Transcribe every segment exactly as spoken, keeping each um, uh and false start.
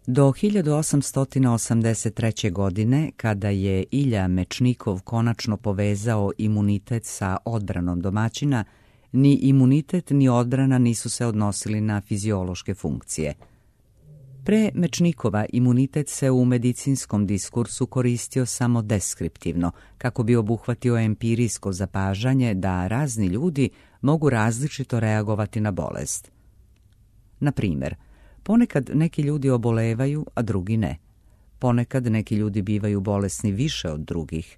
Do hiljadu osamsto osamdeset treće. godine, kada je Ilja Mečnikov konačno povezao imunitet sa odbranom domaćina, ni imunitet ni odbrana nisu se odnosili na fiziološke funkcije. Pre Mečnikova imunitet se u medicinskom diskursu koristio samo deskriptivno, kako bi obuhvatio empirijsko zapažanje da razni ljudi mogu različito reagovati na bolest. Na primjer, ponekad neki ljudi obolevaju, a drugi ne. Ponekad neki ljudi bivaju bolesni više od drugih.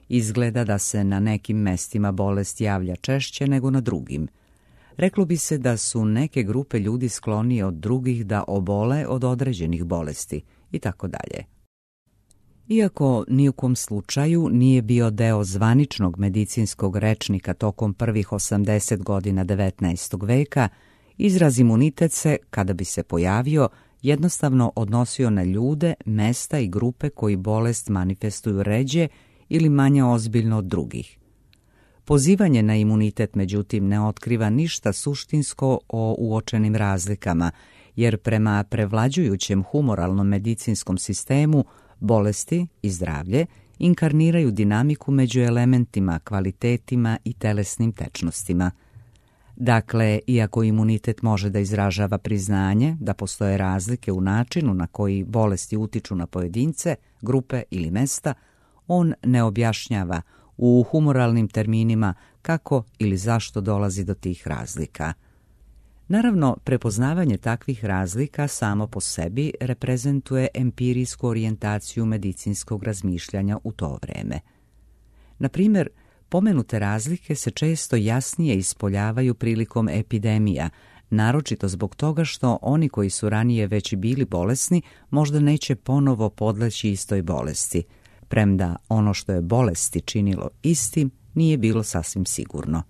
Izgleda da se na nekim mestima bolest javlja češće nego na drugim. Reklo bi se da su neke grupe ljudi sklonije od drugih da obole od određenih bolesti i tako dalje. Iako ni u kom slučaju nije bio deo zvaničnog medicinskog rečnika tokom prvih osamdeset godina devetnaestog veka, izraz imunitet se, kada bi se pojavio, jednostavno odnosio na ljude, mesta i grupe koji bolest manifestuju ređe ili manje ozbiljno od drugih. Pozivanje na imunitet, međutim, ne otkriva ništa suštinsko o uočenim razlikama, jer prema prevlađujućem humoralnom medicinskom sistemu bolesti i zdravlje inkarniraju dinamiku među elementima, kvalitetima i telesnim tečnostima. Dakle, iako imunitet može da izražava priznanje da postoje razlike u načinu na koji bolesti utiču na pojedince, grupe ili mesta, on ne objašnjava u humoralnim terminima kako ili zašto dolazi do tih razlika. Naravno, prepoznavanje takvih razlika samo po sebi reprezentuje empirijsku orijentaciju medicinskog razmišljanja u to vreme. Na primjer, pomenute razlike se često jasnije ispoljavaju prilikom epidemija, naročito zbog toga što oni koji su ranije već bili bolesni možda neće ponovo podleći istoj bolesti, premda ono što je bolesti činilo istim nije bilo sasvim sigurno.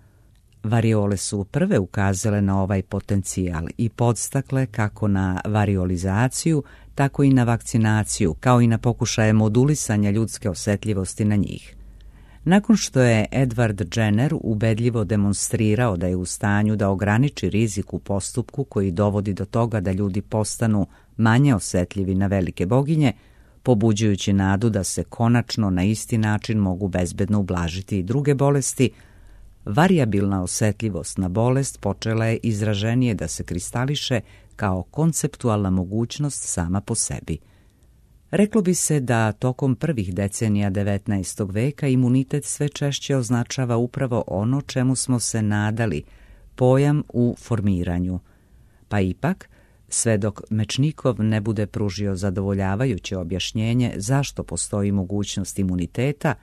Variole su prve ukazale na ovaj potencijal i podstakle kako na variolizaciju, tako i na vakcinaciju, kao i na pokušaje modulisanja ljudske osetljivosti na njih. Nakon što je Edward Jenner ubedljivo demonstrirao da je u stanju da ograniči rizik u postupku koji dovodi do toga da ljudi postanu manje osetljivi na velike boginje, pobuđujući nadu da se konačno na isti način mogu bezbedno ublažiti i druge bolesti, varijabilna osetljivost na bolest počela je izraženije da se kristališe kao konceptualna mogućnost sama po sebi. Reklo bi se da tokom prvih decenija devetnaestog veka imunitet sve češće označava upravo ono čemu smo se nadali, pojam u formiranju. Pa ipak, sve dok Mečnikov ne bude pružio zadovoljavajuće objašnjenje zašto postoji mogućnost imuniteta,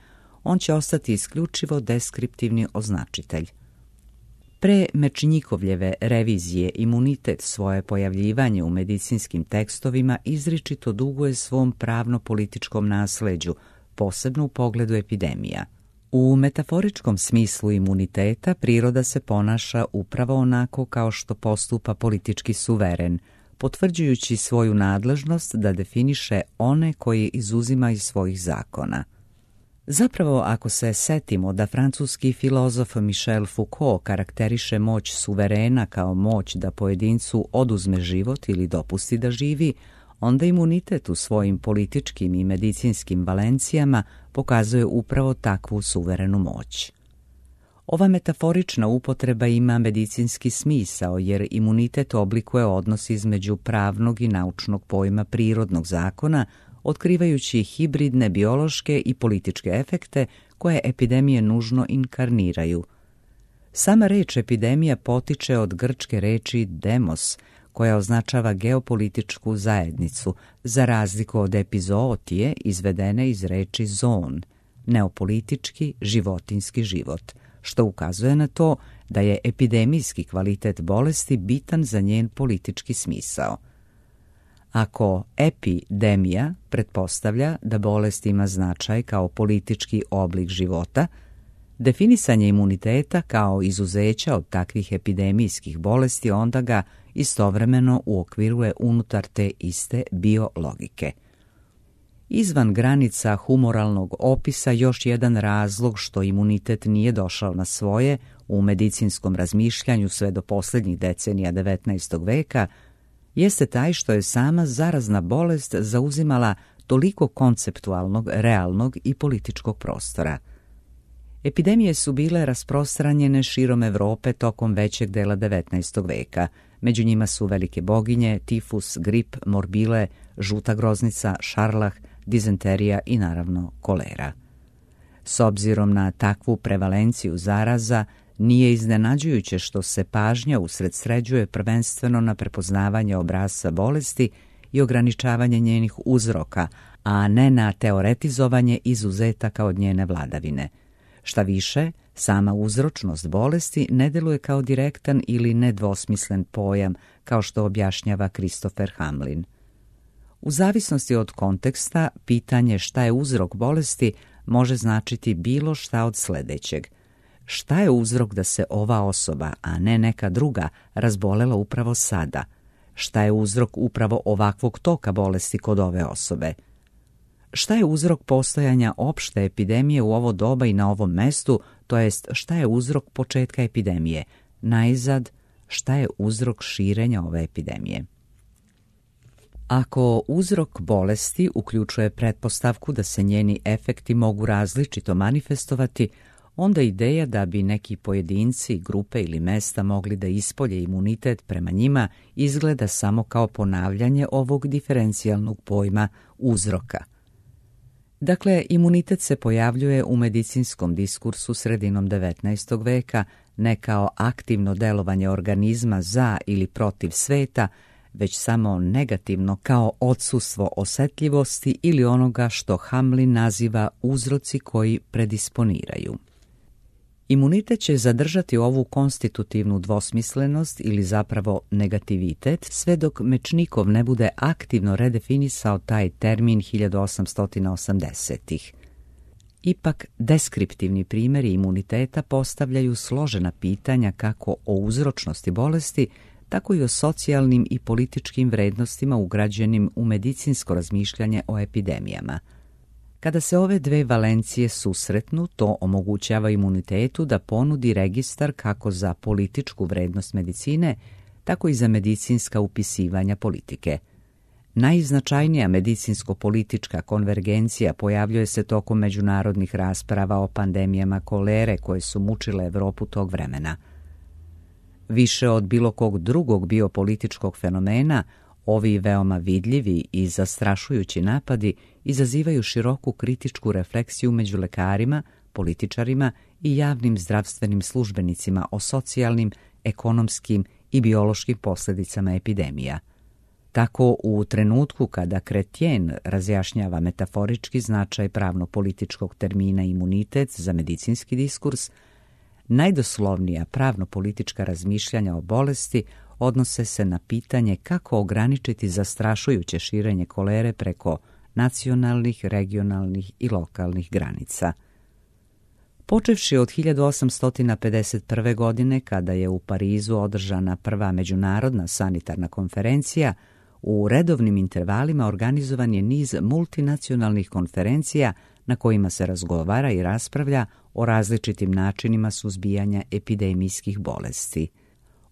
on će ostati isključivo deskriptivni označitelj. Pre Mečnikovljeve revizije imunitet svoje pojavljivanje u medicinskim tekstovima izričito duguje svom pravno-političkom nasleđu, posebno u pogledu epidemija. U metaforičkom smislu imuniteta priroda se ponaša upravo onako kao što postupa politički suveren, potvrđujući svoju nadležnost da definiše one koje izuzima iz svojih zakona. Zapravo, ako se setimo da francuski filozof Michel Foucault karakteriše moć suverena kao moć da pojedincu oduzme život ili dopusti da živi, onda imunitet u svojim političkim i medicinskim valencijama pokazuje upravo takvu suverenu moć. Ova metaforična upotreba ima medicinski smisao jer imunitet oblikuje odnos između pravnog i naučnog pojma prirodnog zakona, otkrivajući hibridne biološke i političke efekte koje epidemije nužno inkarniraju. Sama reč epidemija potiče od grčke reči demos, koja označava geopolitičku zajednicu, za razliku od epizootije izvedene iz reči zon, neopolitički životinski život, što ukazuje na to da je epidemijski kvalitet bolesti bitan za njen politički smisao. Ako epidemija pretpostavlja da bolest ima značaj kao politički oblik života, definisanje imuniteta kao izuzeća od takvih epidemijskih bolesti onda ga istovremeno uokviruje unutar te iste biologike. Izvan granica humoralnog opisa još jedan razlog što imunitet nije došao na svoje u medicinskom razmišljanju sve do posljednjih decenija devetnaestog veka jeste taj što je sama zarazna bolest zauzimala toliko konceptualnog, realnog i političkog prostora. Epidemije su bile rasprostranjene širom Evrope tokom većeg dela devetnaestog veka. Među njima su velike boginje, tifus, grip, morbile, žuta groznica, šarlah, dizenterija i naravno kolera. S obzirom na takvu prevalenciju zaraza, nije iznenađujuće što se pažnja usredsređuje prvenstveno na prepoznavanje obrasca bolesti i ograničavanje njenih uzroka, a ne na teoretizovanje izuzetaka od njene vladavine. Šta više, sama uzročnost bolesti ne deluje kao direktan ili nedvosmislen pojam, kao što objašnjava Christopher Hamlin. U zavisnosti od konteksta, pitanje šta je uzrok bolesti može značiti bilo šta od sledećeg. Šta je uzrok da se ova osoba, a ne neka druga, razbolela upravo sada? Šta je uzrok upravo ovakvog toka bolesti kod ove osobe? Šta je uzrok postojanja opšte epidemije u ovo doba i na ovom mestu, to jest šta je uzrok početka epidemije? Najzad, šta je uzrok širenja ove epidemije? Ako uzrok bolesti uključuje pretpostavku da se njeni efekti mogu različito manifestovati, onda ideja da bi neki pojedinci, grupe ili mesta mogli da ispolje imunitet prema njima izgleda samo kao ponavljanje ovog diferencijalnog pojma uzroka. Dakle, imunitet se pojavljuje u medicinskom diskursu sredinom devetnaestog veka ne kao aktivno delovanje organizma za ili protiv sveta, već samo negativno kao odsustvo osetljivosti ili onoga što Hamlin naziva uzroci koji predisponiraju. Imunitet će zadržati ovu konstitutivnu dvosmislenost ili zapravo negativitet sve dok Mečnikov ne bude aktivno redefinisao taj termin hiljadu osamsto osamdesetih. Ipak, deskriptivni primjeri imuniteta postavljaju složena pitanja kako o uzročnosti bolesti, tako i o socijalnim i političkim vrednostima ugrađenim u medicinsko razmišljanje o epidemijama. Kada se ove dve valencije susretnu, to omogućava imunitetu da ponudi registar kako za političku vrednost medicine, tako i za medicinska upisivanja politike. Najznačajnija medicinsko-politička konvergencija pojavljuje se tokom međunarodnih rasprava o pandemijama kolere koje su mučile Evropu tog vremena. Više od bilo kog drugog biopolitičkog fenomena, ovi veoma vidljivi i zastrašujući napadi izazivaju široku kritičku refleksiju među lekarima, političarima i javnim zdravstvenim službenicima o socijalnim, ekonomskim i biološkim posljedicama epidemija. Tako, u trenutku kada Chrétien razjašnjava metaforički značaj pravno-političkog termina imunitet za medicinski diskurs, najdoslovnija pravno-politička razmišljanja o bolesti odnose se na pitanje kako ograničiti zastrašujuće širenje kolere preko nacionalnih, regionalnih i lokalnih granica. Počevši od hiljadu osamsto pedeset prve. godine, kada je u Parizu održana prva međunarodna sanitarna konferencija, u redovnim intervalima organizovan je niz multinacionalnih konferencija na kojima se razgovara i raspravlja o različitim načinima suzbijanja epidemijskih bolesti.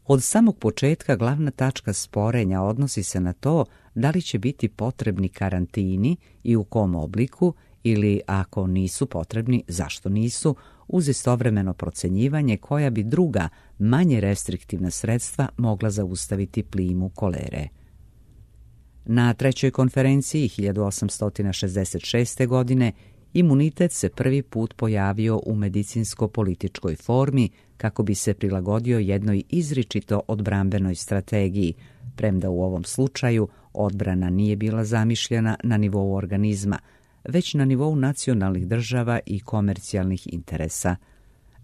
Od samog početka glavna tačka sporenja odnosi se na to da li će biti potrebni karantini i u kom obliku ili, ako nisu potrebni, zašto nisu, uz istovremeno procenjivanje koja bi druga, manje restriktivna sredstva mogla zaustaviti plimu kolere. Na trećoj konferenciji hiljadu osamsto šezdeset šeste. godine imunitet se prvi put pojavio u medicinsko-političkoj formi kako bi se prilagodio jednoj izričito odbrambenoj strategiji, premda u ovom slučaju odbrana nije bila zamišljena na nivou organizma, već na nivou nacionalnih država i komercijalnih interesa.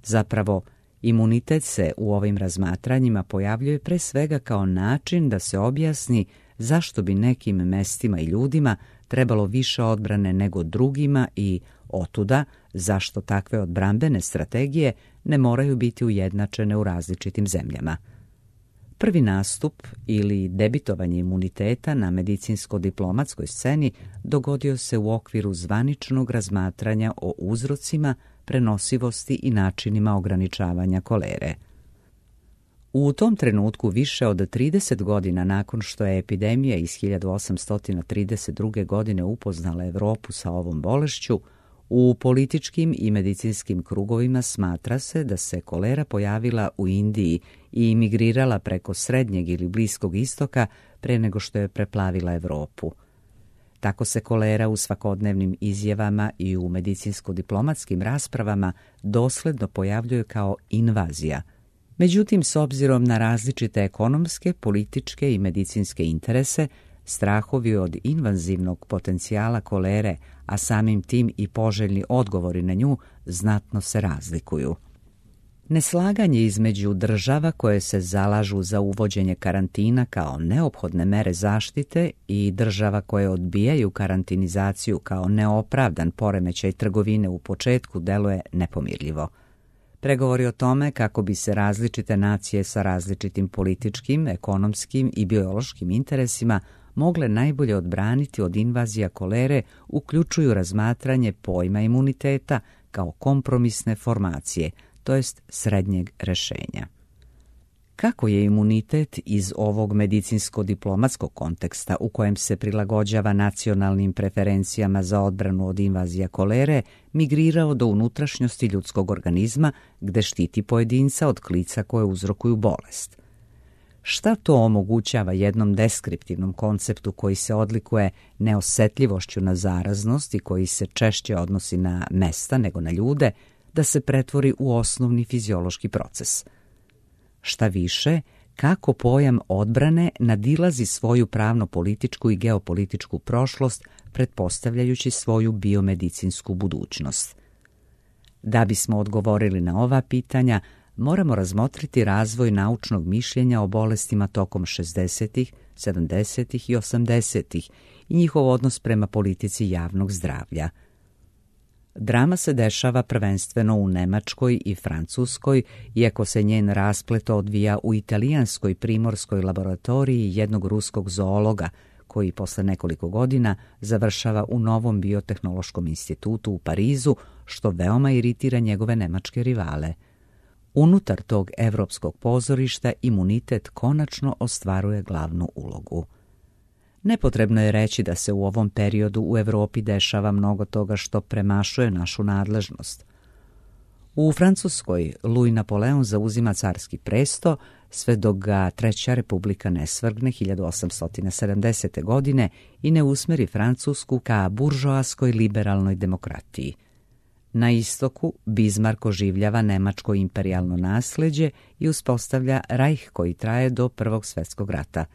Zapravo, imunitet se u ovim razmatranjima pojavljuje pre svega kao način da se objasni zašto bi nekim mestima i ljudima trebalo više odbrane nego drugima i, otuda, zašto takve odbrambene strategije ne moraju biti ujednačene u različitim zemljama. Prvi nastup ili debitovanje imuniteta na medicinsko-diplomatskoj sceni dogodio se u okviru zvaničnog razmatranja o uzrocima, prenosivosti i načinima ograničavanja kolere. U tom trenutku, više od trideset godina nakon što je epidemija iz hiljadu osamsto trideset druge. godine upoznala Evropu sa ovom bolešću, u političkim i medicinskim krugovima smatra se da se kolera pojavila u Indiji i imigrirala preko Srednjeg ili Bliskog istoka pre nego što je preplavila Evropu. Tako se kolera u svakodnevnim izjavama i u medicinsko-diplomatskim raspravama dosledno pojavljuje kao invazija. Međutim, s obzirom na različite ekonomske, političke i medicinske interese, strahovi od invazivnog potencijala kolere, a samim tim i poželjni odgovori na nju, znatno se razlikuju. Neslaganje između država koje se zalažu za uvođenje karantina kao neophodne mere zaštite i država koje odbijaju karantinizaciju kao neopravdan poremećaj trgovine u početku deluje nepomirljivo. Pregovori o tome kako bi se različite nacije sa različitim političkim, ekonomskim i biološkim interesima mogle najbolje odbraniti od invazija kolere uključuju razmatranje pojma imuniteta kao kompromisne formacije, to jest srednjeg rešenja. Kako je imunitet iz ovog medicinsko-diplomatskog konteksta u kojem se prilagođava nacionalnim preferencijama za odbranu od invazija kolere migrirao do unutrašnjosti ljudskog organizma gde štiti pojedinca od klica koje uzrokuju bolest? Šta to omogućava jednom deskriptivnom konceptu koji se odlikuje neosetljivošću na zaraznost i koji se češće odnosi na mesta nego na ljude, da se pretvori u osnovni fiziološki proces? Šta više, kako pojam odbrane nadilazi svoju pravno-političku i geopolitičku prošlost, pretpostavljajući svoju biomedicinsku budućnost? Da bismo odgovorili na ova pitanja, moramo razmotriti razvoj naučnog mišljenja o bolestima tokom šezdesetih, sedamdesetih i osamdesetih i njihov odnos prema politici javnog zdravlja. Drama se dešava prvenstveno u Nemačkoj i Francuskoj, iako se njen rasplet odvija u italijanskoj primorskoj laboratoriji jednog ruskog zoologa, koji posle nekoliko godina završava u Novom biotehnološkom institutu u Parizu, što veoma iritira njegove nemačke rivale. Unutar tog evropskog pozorišta imunitet konačno ostvaruje glavnu ulogu. Nepotrebno je reći da se u ovom periodu u Evropi dešava mnogo toga što premašuje našu nadležnost. U Francuskoj Louis Napoleon zauzima carski presto sve dok ga Treća republika ne svrgne hiljadu osamsto sedamdesete. godine i ne usmeri Francusku ka buržoaskoj liberalnoj demokratiji. Na istoku Bismarck oživljava nemačko imperijalno nasleđe i uspostavlja Reich koji traje do Prvog svjetskog rata.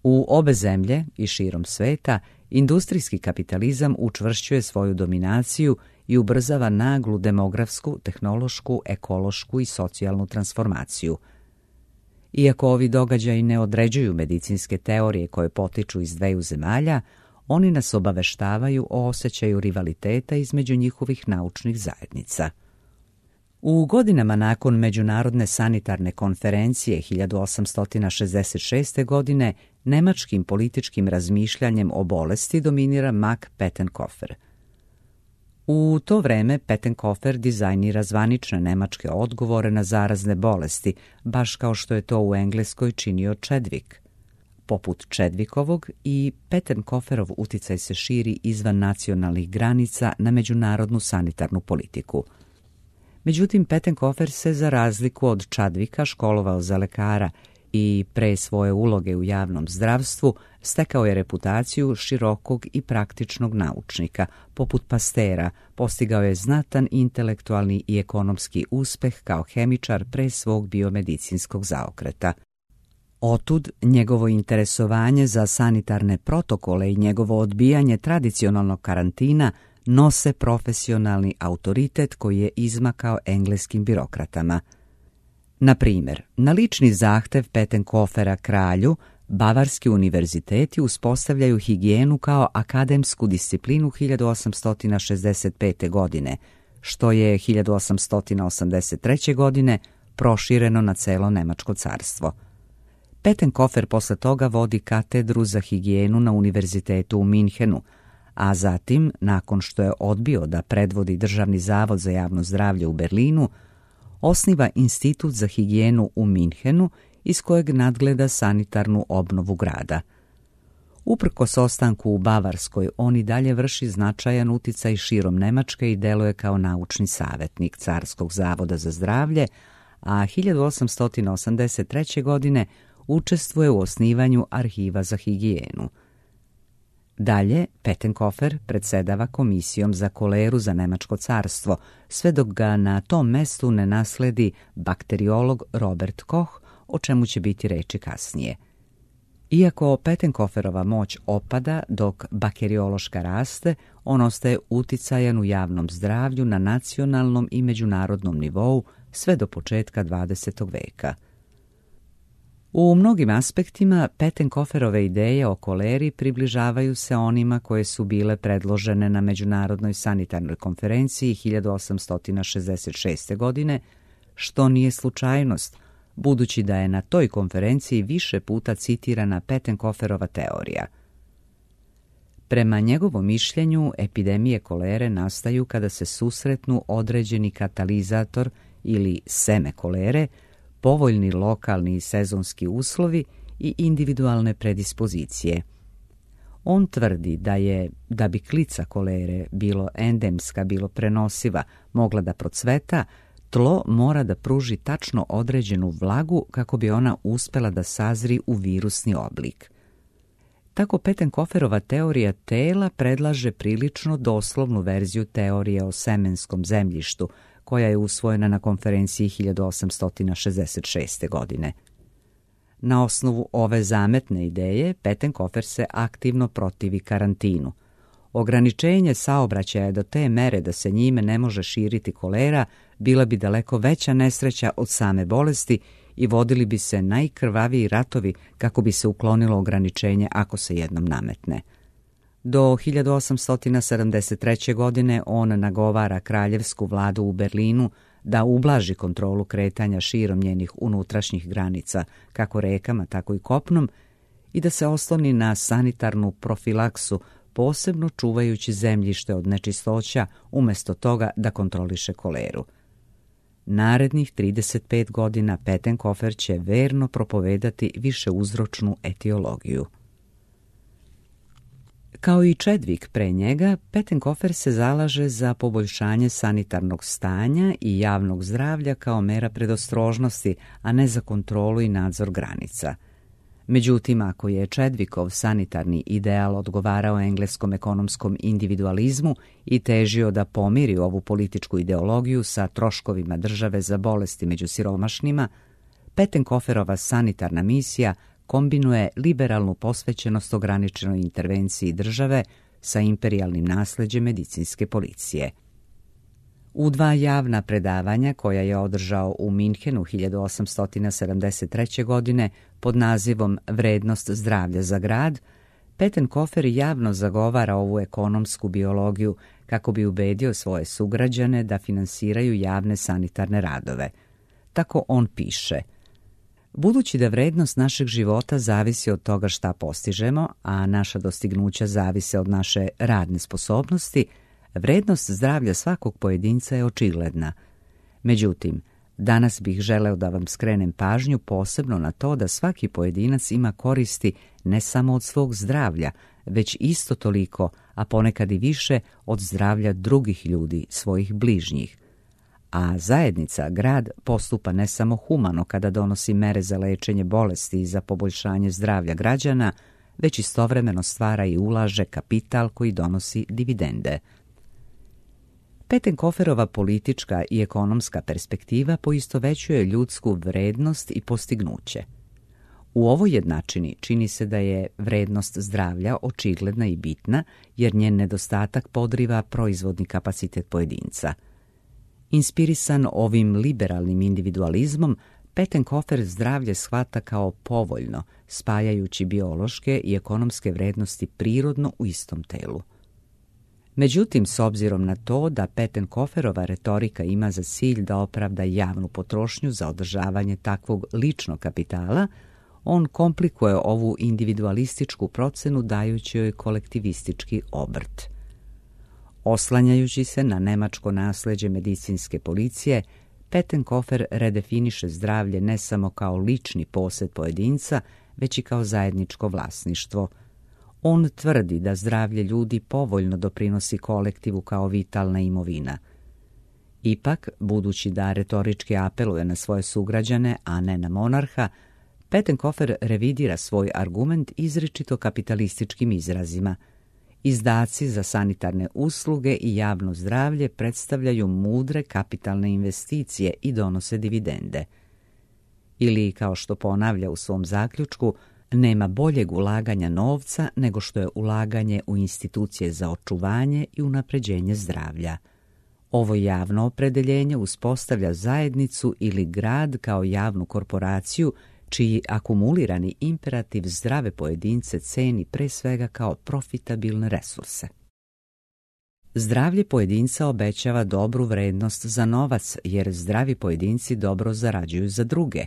U obe zemlje i širom sveta industrijski kapitalizam učvršćuje svoju dominaciju i ubrzava naglu demografsku, tehnološku, ekološku i socijalnu transformaciju. Iako ovi događaji ne određuju medicinske teorije koje potiču iz dveju zemalja, oni nas obaveštavaju o osjećaju rivaliteta između njihovih naučnih zajednica. U godinama nakon Međunarodne sanitarne konferencije hiljadu osamsto šezdeset šeste. godine nemačkim političkim razmišljanjem o bolesti dominira Max Pettenkofer. U to vreme Pettenkofer dizajnira zvanične nemačke odgovore na zarazne bolesti, baš kao što je to u Engleskoj činio Chadwick. Poput Chadwickovog i Pettenkoferov uticaj se širi izvan nacionalnih granica na međunarodnu sanitarnu politiku. Međutim, Pettenkofer se za razliku od Chadwicka školovao za lekara i pre svoje uloge u javnom zdravstvu stekao je reputaciju širokog i praktičnog naučnika. Poput Pastera, postigao je znatan intelektualni i ekonomski uspeh kao hemičar pre svog biomedicinskog zaokreta. Otud njegovo interesovanje za sanitarne protokole i njegovo odbijanje tradicionalnog karantina nose profesionalni autoritet koji je izmakao engleskim birokratama. Na primjer, na lični zahtev Pettenkofera kralju, bavarski univerziteti uspostavljaju higijenu kao akademsku disciplinu hiljadu osamsto šezdeset pete. godine, što je hiljadu osamsto osamdeset treće. godine prošireno na celo Nemačko carstvo. Pettenkofer posle toga vodi katedru za higijenu na univerzitetu u Minhenu, a zatim, nakon što je odbio da predvodi Državni zavod za javno zdravlje u Berlinu, osniva Institut za higijenu u Minhenu, iz kojeg nadgleda sanitarnu obnovu grada. Uprkos ostanku u Bavarskoj, on i dalje vrši značajan uticaj širom Nemačke i deluje kao naučni savjetnik Carskog zavoda za zdravlje, a hiljadu osamsto osamdeset treće. godine učestvuje u osnivanju arhiva za higijenu. Dalje, Pettenkofer predsedava komisijom za koleru za Nemačko carstvo, sve dok ga na tom mestu ne nasledi bakteriolog Robert Koch, o čemu će biti reči kasnije. Iako Pettenkoferova moć opada dok bakteriološka raste, on ostaje uticajan u javnom zdravlju na nacionalnom i međunarodnom nivou sve do početka dvadesetog veka. U mnogim aspektima Pettenkoferove ideje o koleri približavaju se onima koje su bile predložene na Međunarodnoj sanitarnoj konferenciji hiljadu osamsto šezdeset šeste. godine, što nije slučajnost, budući da je na toj konferenciji više puta citirana Pettenkoferova teorija. Prema njegovom mišljenju, epidemije kolere nastaju kada se susretnu određeni katalizator ili seme kolere, povoljni lokalni i sezonski uslovi i individualne predispozicije. On tvrdi da je, da bi klica kolere, bilo endemska, bilo prenosiva, mogla da procveta, tlo mora da pruži tačno određenu vlagu kako bi ona uspela da sazri u virusni oblik. Tako Pettenkoferova teorija tela predlaže prilično doslovnu verziju teorije o semenskom zemljištu, koja je usvojena na konferenciji hiljadu osamsto šezdeset šeste. godine. Na osnovu ove zametne ideje, Pettenkofer se aktivno protivi karantinu. Ograničenje saobraćaja do te mere da se njime ne može širiti kolera bila bi daleko veća nesreća od same bolesti i vodili bi se najkrvaviji ratovi kako bi se uklonilo ograničenje ako se jednom nametne. Do hiljadu osamsto sedamdeset treće. godine on nagovara kraljevsku vladu u Berlinu da ublaži kontrolu kretanja širom njenih unutrašnjih granica, kako rekama, tako i kopnom, i da se osloni na sanitarnu profilaksu, posebno čuvajući zemljište od nečistoća umjesto toga da kontroliše koleru. Narednih trideset pet godina Pettenkofer će verno propovedati višeuzročnu etiologiju. Kao i Chadwick pre njega, Pettenkofer se zalaže za poboljšanje sanitarnog stanja i javnog zdravlja kao mera predostrožnosti, a ne za kontrolu i nadzor granica. Međutim, ako je Chadwickov sanitarni ideal odgovarao engleskom ekonomskom individualizmu i težio da pomiri ovu političku ideologiju sa troškovima države za bolesti među siromašnima, Pettenkoferova sanitarna misija kombinuje liberalnu posvećenost ograničenoj intervenciji države sa imperijalnim nasleđem medicinske policije. U dva javna predavanja koja je održao u Minhenu hiljadu osamsto sedamdeset treće. godine pod nazivom Vrednost zdravlja za grad, Pettenkofer javno zagovara ovu ekonomsku biologiju kako bi ubedio svoje sugrađane da finansiraju javne sanitarne radove. Tako on piše: budući da vrednost našeg života zavisi od toga šta postižemo, a naša dostignuća zavise od naše radne sposobnosti, vrednost zdravlja svakog pojedinca je očigledna. Međutim, danas bih želeo da vam skrenem pažnju posebno na to da svaki pojedinac ima koristi ne samo od svog zdravlja, već isto toliko, a ponekad i više, od zdravlja drugih ljudi, svojih bližnjih. A zajednica, grad, postupa ne samo humano kada donosi mere za lečenje bolesti i za poboljšanje zdravlja građana, već istovremeno stvara i ulaže kapital koji donosi dividende. Pettenkoferova politička i ekonomska perspektiva poistovećuje ljudsku vrednost i postignuće. U ovoj jednačini čini se da je vrednost zdravlja očigledna i bitna, jer njen nedostatak podriva proizvodni kapacitet pojedinca. Inspirisan ovim liberalnim individualizmom, Pettenkofer zdravlje shvata kao povoljno, spajajući biološke i ekonomske vrednosti prirodno u istom telu. Međutim, s obzirom na to da Pettenkoferova retorika ima za cilj da opravda javnu potrošnju za održavanje takvog ličnog kapitala, on komplikuje ovu individualističku procenu dajući joj kolektivistički obrt. Oslanjajući se na nemačko nasleđe medicinske policije, Pettenkofer redefiniše zdravlje ne samo kao lični posed pojedinca, već i kao zajedničko vlasništvo. On tvrdi da zdravlje ljudi povoljno doprinosi kolektivu kao vitalna imovina. Ipak, budući da retorički apeluje na svoje sugrađane, a ne na monarha, Pettenkofer revidira svoj argument izričito kapitalističkim izrazima. Izdaci za sanitarne usluge i javno zdravlje predstavljaju mudre kapitalne investicije i donose dividende. Ili, kao što ponavlja u svom zaključku, nema boljeg ulaganja novca nego što je ulaganje u institucije za očuvanje i unapređenje zdravlja. Ovo javno opredeljenje uspostavlja zajednicu ili grad kao javnu korporaciju čiji akumulirani imperativ zdrave pojedince ceni pre svega kao profitabilne resurse. Zdravlje pojedinca obećava dobru vrednost za novac, jer zdravi pojedinci dobro zarađuju za druge.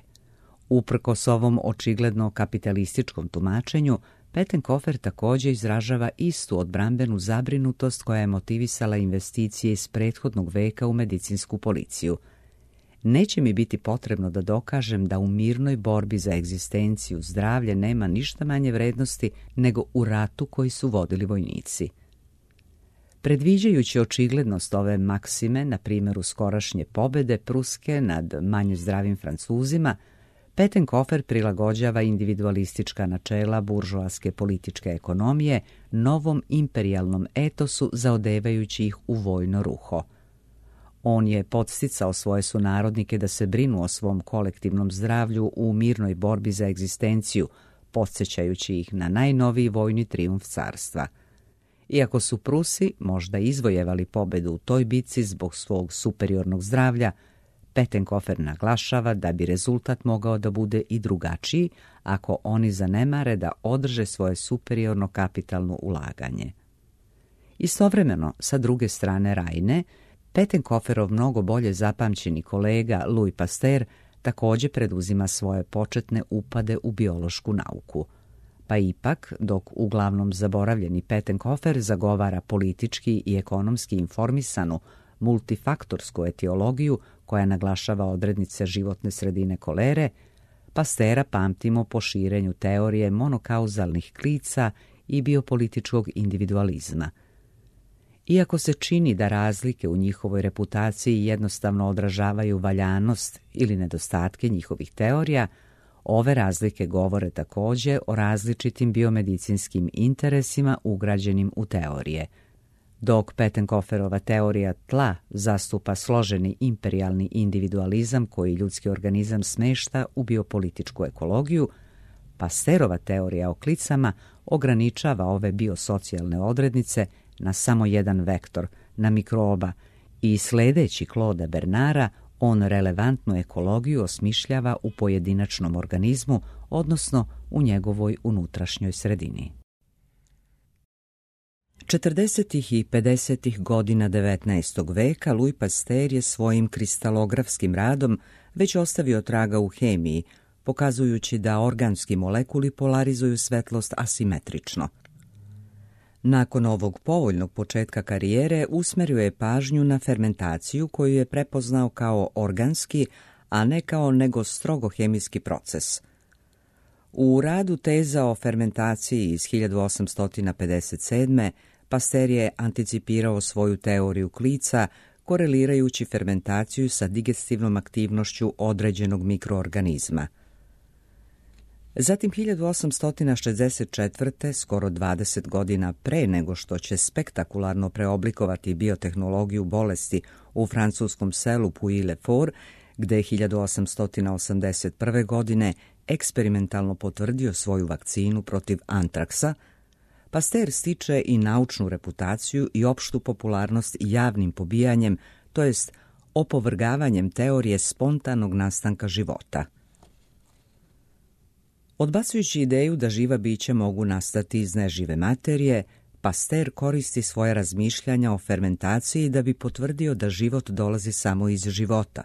Uprkos ovom očigledno kapitalističkom tumačenju, Pettenkofer također izražava istu odbrambenu zabrinutost koja je motivisala investicije iz prethodnog veka u medicinsku policiju. Neće mi biti potrebno da dokažem da u mirnoj borbi za egzistenciju zdravlje nema ništa manje vrednosti nego u ratu koji su vodili vojnici. Predviđajući očiglednost ove maksime, na primjeru skorašnje pobede Pruske nad manje zdravim Francuzima, Pettenkofer prilagođava individualistička načela buržoaske političke ekonomije novom imperijalnom etosu zaodevajući ih u vojno ruho. On je podsticao svoje sunarodnike da se brinu o svom kolektivnom zdravlju u mirnoj borbi za egzistenciju, podsjećajući ih na najnoviji vojni trijumf carstva. Iako su Prusi možda izvojevali pobedu u toj bitci zbog svog superiornog zdravlja, Pettenkofer naglašava da bi rezultat mogao da bude i drugačiji ako oni zanemare da održe svoje superiorno kapitalno ulaganje. Istovremeno, sa druge strane Rajne, Pettenkoferov mnogo bolje zapamćeni kolega Louis Pasteur također preduzima svoje početne upade u biološku nauku. Pa ipak, dok uglavnom zaboravljeni Pettenkofer zagovara politički i ekonomski informisanu multifaktorsku etiologiju koja naglašava odrednice životne sredine kolere, Pasteura pamtimo po širenju teorije monokauzalnih klica i biopolitičkog individualizma. Iako se čini da razlike u njihovoj reputaciji jednostavno odražavaju valjanost ili nedostatke njihovih teorija, ove razlike govore također o različitim biomedicinskim interesima ugrađenim u teorije. Dok Pettenkoferova teorija tla zastupa složeni imperijalni individualizam koji ljudski organizam smešta u biopolitičku ekologiju, Pasteurova teorija o klicama ograničava ove biosocijalne odrednice na samo jedan vektor, na mikroba, i sledeći Claude Bernara, on relevantnu ekologiju osmišljava u pojedinačnom organizmu, odnosno u njegovoj unutrašnjoj sredini. četrdesetih i pedesetih godina devetnaestog veka Louis Pasteur je svojim kristalografskim radom već ostavio traga u hemiji, pokazujući da organski molekuli polarizuju svetlost asimetrično. Nakon ovog povoljnog početka karijere usmerio je pažnju na fermentaciju koju je prepoznao kao organski, a ne kao nego strogo hemijski proces. U radu Teza o fermentaciji iz hiljadu osamsto pedeset sedme Pasteur je anticipirao svoju teoriju klica korelirajući fermentaciju sa digestivnom aktivnošću određenog mikroorganizma. Zatim hiljadu osamsto šezdeset četvrte, skoro dvadeset godina pre nego što će spektakularno preoblikovati biotehnologiju bolesti u francuskom selu Pouilly-le-Fort, gde je hiljadu osamsto osamdeset prve. godine eksperimentalno potvrdio svoju vakcinu protiv antraksa, Pasteur stiče i naučnu reputaciju i opštu popularnost javnim pobijanjem, to jest opovrgavanjem teorije spontanog nastanka života. Odbacujući ideju da živa bića mogu nastati iz nežive materije, Pasteur koristi svoje razmišljanja o fermentaciji da bi potvrdio da život dolazi samo iz života.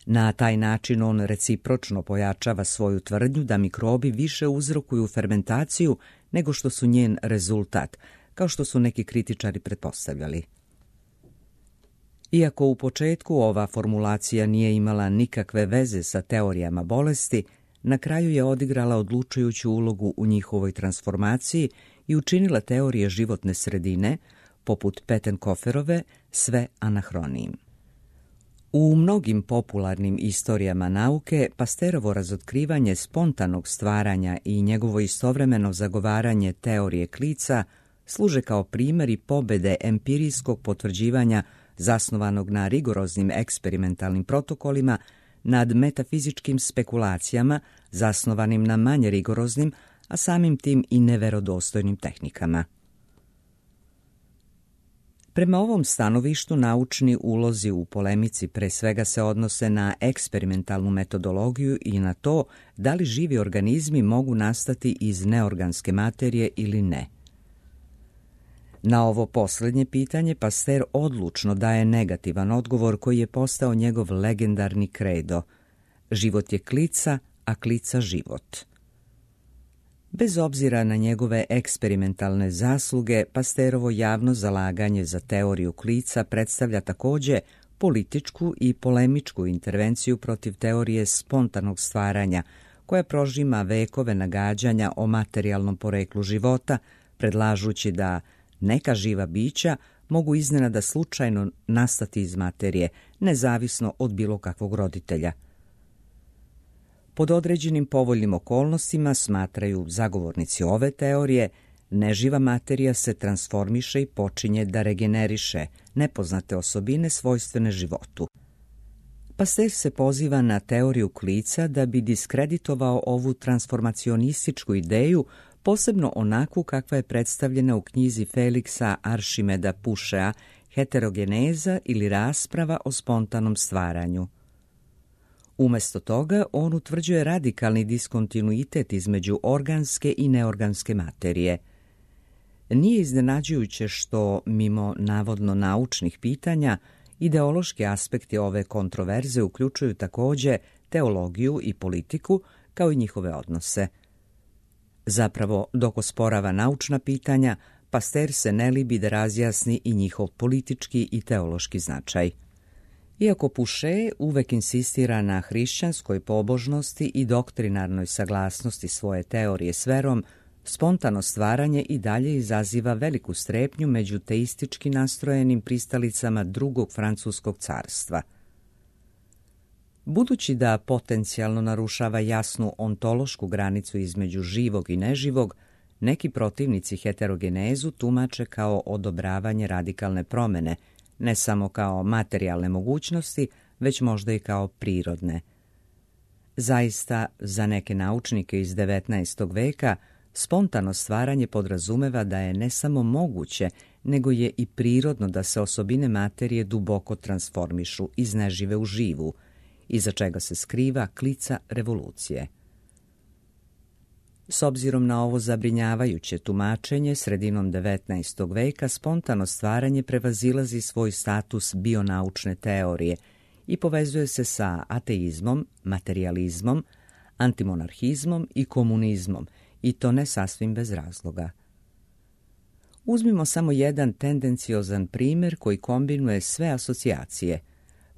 Na taj način on recipročno pojačava svoju tvrdnju da mikrobi više uzrokuju fermentaciju nego što su njen rezultat, kao što su neki kritičari pretpostavljali. Iako u početku ova formulacija nije imala nikakve veze sa teorijama bolesti, na kraju je odigrala odlučujuću ulogu u njihovoj transformaciji i učinila teorije životne sredine, poput Pettenkoferove, sve anahronijim. U mnogim popularnim istorijama nauke Pasterovo razotkrivanje spontanog stvaranja i njegovo istovremeno zagovaranje teorije klica služe kao primjeri pobede empirijskog potvrđivanja zasnovanog na rigoroznim eksperimentalnim protokolima nad metafizičkim spekulacijama zasnovanim na manje rigoroznim, a samim tim i neverodostojnim tehnikama. Prema ovom stanovištu naučni ulozi u polemici pre svega se odnose na eksperimentalnu metodologiju i na to da li živi organizmi mogu nastati iz neorganske materije ili ne. Na ovo posljednje pitanje Pasteur odlučno daje negativan odgovor koji je postao njegov legendarni kredo. Život je klica, a klica život. Bez obzira na njegove eksperimentalne zasluge, Pasteurovo javno zalaganje za teoriju klica predstavlja također političku i polemičku intervenciju protiv teorije spontanog stvaranja, koja prožima vekove nagađanja o materijalnom poreklu života, predlažući da neka živa bića mogu iznenada slučajno nastati iz materije, nezavisno od bilo kakvog roditelja. Pod određenim povoljnim okolnostima, smatraju zagovornici ove teorije, neživa materija se transformiše i počinje da regeneriše nepoznate osobine svojstvene životu. Pasteur se poziva na teoriju klica da bi diskreditovao ovu transformacionističku ideju, posebno onakvu kakva je predstavljena u knjizi Feliksa Aršimeda Pušea Heterogeneza ili rasprava o spontanom stvaranju. Umjesto toga, on utvrđuje radikalni diskontinuitet između organske i neorganske materije. Nije iznenađujuće što, mimo navodno naučnih pitanja, ideološki aspekti ove kontroverze uključuju također teologiju i politiku, kao i njihove odnose. Zapravo, dok osporava naučna pitanja, Pasteur se ne libi da razjasni i njihov politički i teološki značaj. Iako Puše uvek insistira na hrišćanskoj pobožnosti i doktrinarnoj saglasnosti svoje teorije s verom, spontano stvaranje i dalje izaziva veliku strepnju među teistički nastrojenim pristalicama drugog francuskog carstva. Budući da potencijalno narušava jasnu ontološku granicu između živog i neživog, neki protivnici heterogenezu tumače kao odobravanje radikalne promene, ne samo kao materijalne mogućnosti, već možda i kao prirodne. Zaista, za neke naučnike iz devetnaestog veka, spontano stvaranje podrazumeva da je ne samo moguće, nego je i prirodno da se osobine materije duboko transformišu iz nežive u živu, iza čega se skriva klica revolucije. S obzirom na ovo zabrinjavajuće tumačenje, sredinom devetnaestog veka spontano stvaranje prevazilazi svoj status bionaučne teorije i povezuje se sa ateizmom, materijalizmom, antimonarhizmom i komunizmom, i to ne sasvim bez razloga. Uzmimo samo jedan tendenciozan primjer koji kombinuje sve asocijacije.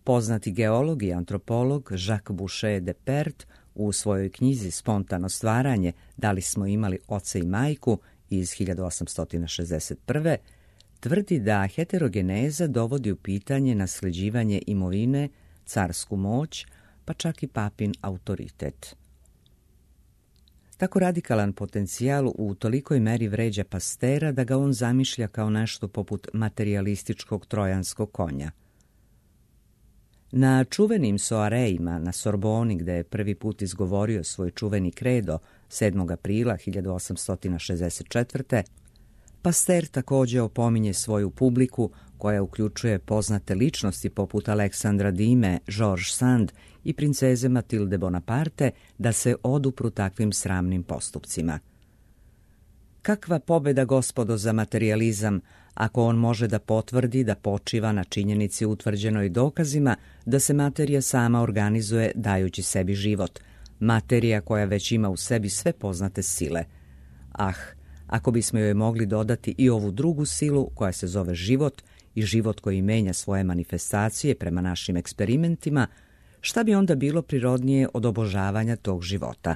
Poznati geolog i antropolog Jacques Boucher de Perthes u svojoj knjizi Spontano stvaranje, da li smo imali oca i majku iz hiljadu osamsto šezdeset prve. tvrdi da heterogeneza dovodi u pitanje nasljeđivanje imovine, carsku moć, pa čak i papin autoritet. Tako radikalan potencijal u tolikoj meri vređa Pasteura da ga on zamišlja kao nešto poput materijalističkog trojanskog konja. Na čuvenim soarejima na Sorboni, gde je prvi put izgovorio svoj čuveni kredo sedmog aprila hiljadu osamsto šezdeset četvrte. Pasteur također opominje svoju publiku, koja uključuje poznate ličnosti poput Aleksandra Dime, Georges Sand i princeze Matilde Bonaparte, da se odupru takvim sramnim postupcima. Kakva pobjeda, gospodo, za materijalizam, ako on može da potvrdi da počiva na činjenici utvrđenoj dokazima da se materija sama organizuje dajući sebi život, materija koja već ima u sebi sve poznate sile. Ah, ako bismo joj mogli dodati i ovu drugu silu koja se zove život i život koji menja svoje manifestacije prema našim eksperimentima, šta bi onda bilo prirodnije od obožavanja tog života?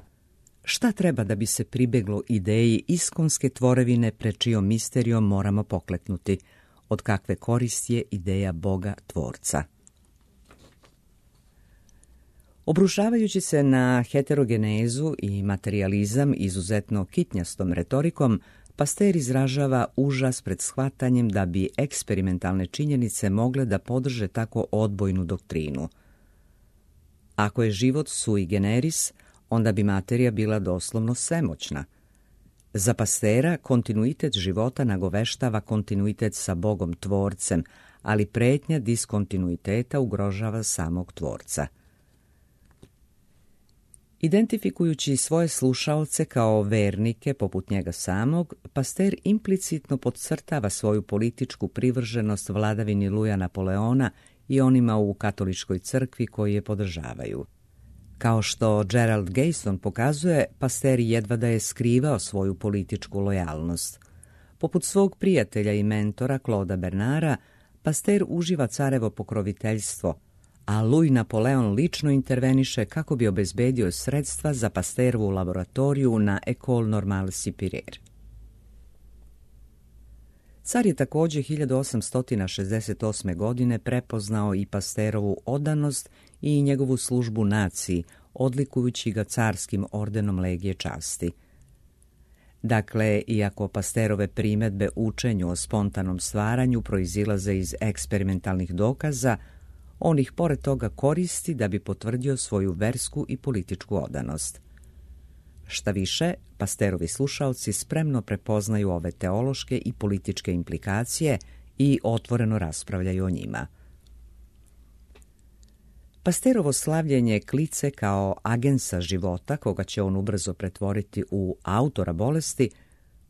Šta treba da bi se pribeglo ideji iskonske tvorevine pred čijom misterijom moramo pokleknuti? Od kakve koristi je ideja Boga Tvorca? Obrušavajući se na heterogenezu i materijalizam izuzetno kitnjastom retorikom, Pasteur izražava užas pred shvatanjem da bi eksperimentalne činjenice mogle da podrže tako odbojnu doktrinu. Ako je život sui generis, onda bi materija bila doslovno svemoćna. Za Pasteura kontinuitet života nagoveštava kontinuitet sa Bogom Tvorcem, ali pretnja diskontinuiteta ugrožava samog Tvorca. Identifikujući svoje slušaoce kao vernike poput njega samog, Pasteur implicitno podcrtava svoju političku privrženost vladavini Luja Napoleona i onima u katoličkoj crkvi koji je podržavaju. Kao što Gerald Gayson pokazuje, Pasteur jedva da je skrivao svoju političku lojalnost. Poput svog prijatelja i mentora Claude'a Bernarda, Pasteur uživa carevo pokroviteljstvo, a Louis Napoleon lično interveniše kako bi obezbedio sredstva za Pasteurovu laboratoriju na École Normale Supérieure. Car je također hiljadu osamsto šezdeset osme. godine prepoznao i Pasteurovu odanost i njegovu službu naciji, odlikujući ga carskim ordenom Legije časti. Dakle, iako Pasteurove primedbe učenju o spontanom stvaranju proizilaze iz eksperimentalnih dokaza, on ih pored toga koristi da bi potvrdio svoju versku i političku odanost. Šta više, Pasteurovi slušaoci spremno prepoznaju ove teološke i političke implikacije i otvoreno raspravljaju o njima. Pasteurovo slavljenje klice kao agensa života, koga će on ubrzo pretvoriti u autora bolesti,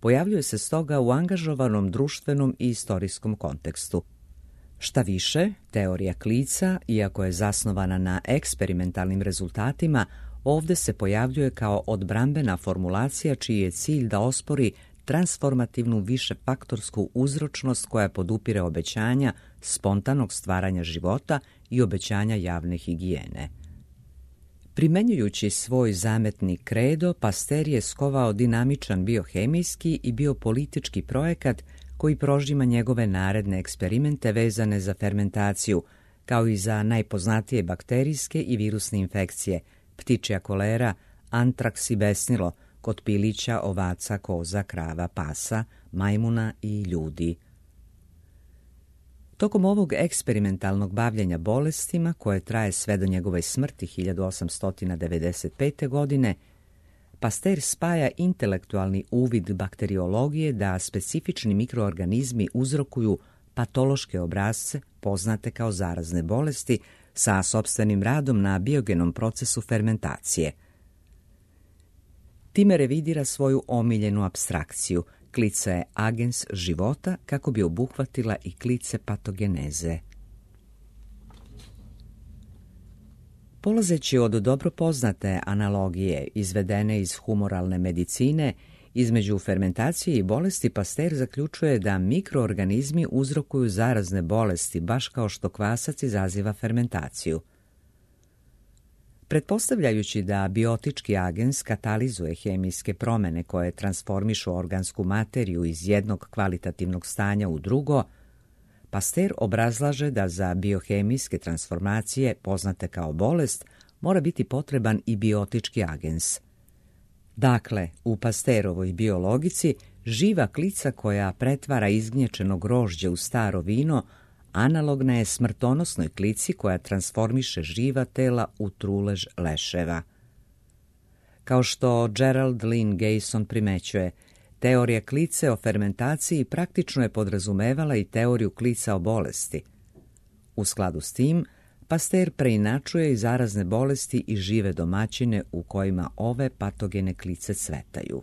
pojavljuje se stoga u angažovanom društvenom i istorijskom kontekstu. Šta više, teorija klica, iako je zasnovana na eksperimentalnim rezultatima, ovdje se pojavljuje kao odbrambena formulacija čiji je cilj da ospori transformativnu višefaktorsku uzročnost koja podupire obećanja spontanog stvaranja života i obećanja javne higijene. Primenjujući svoj zametni kredo, Pasteur je skovao dinamičan biohemijski i biopolitički projekat koji prožima njegove naredne eksperimente vezane za fermentaciju, kao i za najpoznatije bakterijske i virusne infekcije, ptičja kolera, antraks i besnilo, kod pilića, ovaca, koza, krava, pasa, majmuna i ljudi. Tokom ovog eksperimentalnog bavljenja bolestima, koje traje sve do njegove smrti hiljadu osamsto devedeset pete. godine, Pasteur spaja intelektualni uvid bakteriologije da specifični mikroorganizmi uzrokuju patološke obrasce, poznate kao zarazne bolesti, sa sopstvenim radom na biogenom procesu fermentacije. Time revidira svoju omiljenu apstrakciju, klica je agens života kako bi obuhvatila i klice patogeneze. Polazeći od dobro poznate analogije izvedene iz humoralne medicine, između fermentacije i bolesti Pasteur zaključuje da mikroorganizmi uzrokuju zarazne bolesti, baš kao što kvasac izaziva fermentaciju. Pretpostavljajući da biotički agens katalizuje hemijske promene koje transformišu organsku materiju iz jednog kvalitativnog stanja u drugo, Pasteur obrazlaže da za biohemijske transformacije, poznate kao bolest, mora biti potreban i biotički agens. Dakle, u Pasteurovoj biologici živa klica koja pretvara izgnječeno grožđe u staro vino analogna je smrtonosnoj klici koja transformiše živa tela u trulež leševa. Kao što Gerald Lynn Gayson primećuje, teorija klice o fermentaciji praktično je podrazumevala i teoriju klica o bolesti. U skladu s tim, Pasteur preinačuje i zarazne bolesti i žive domaćine u kojima ove patogene klice cvetaju.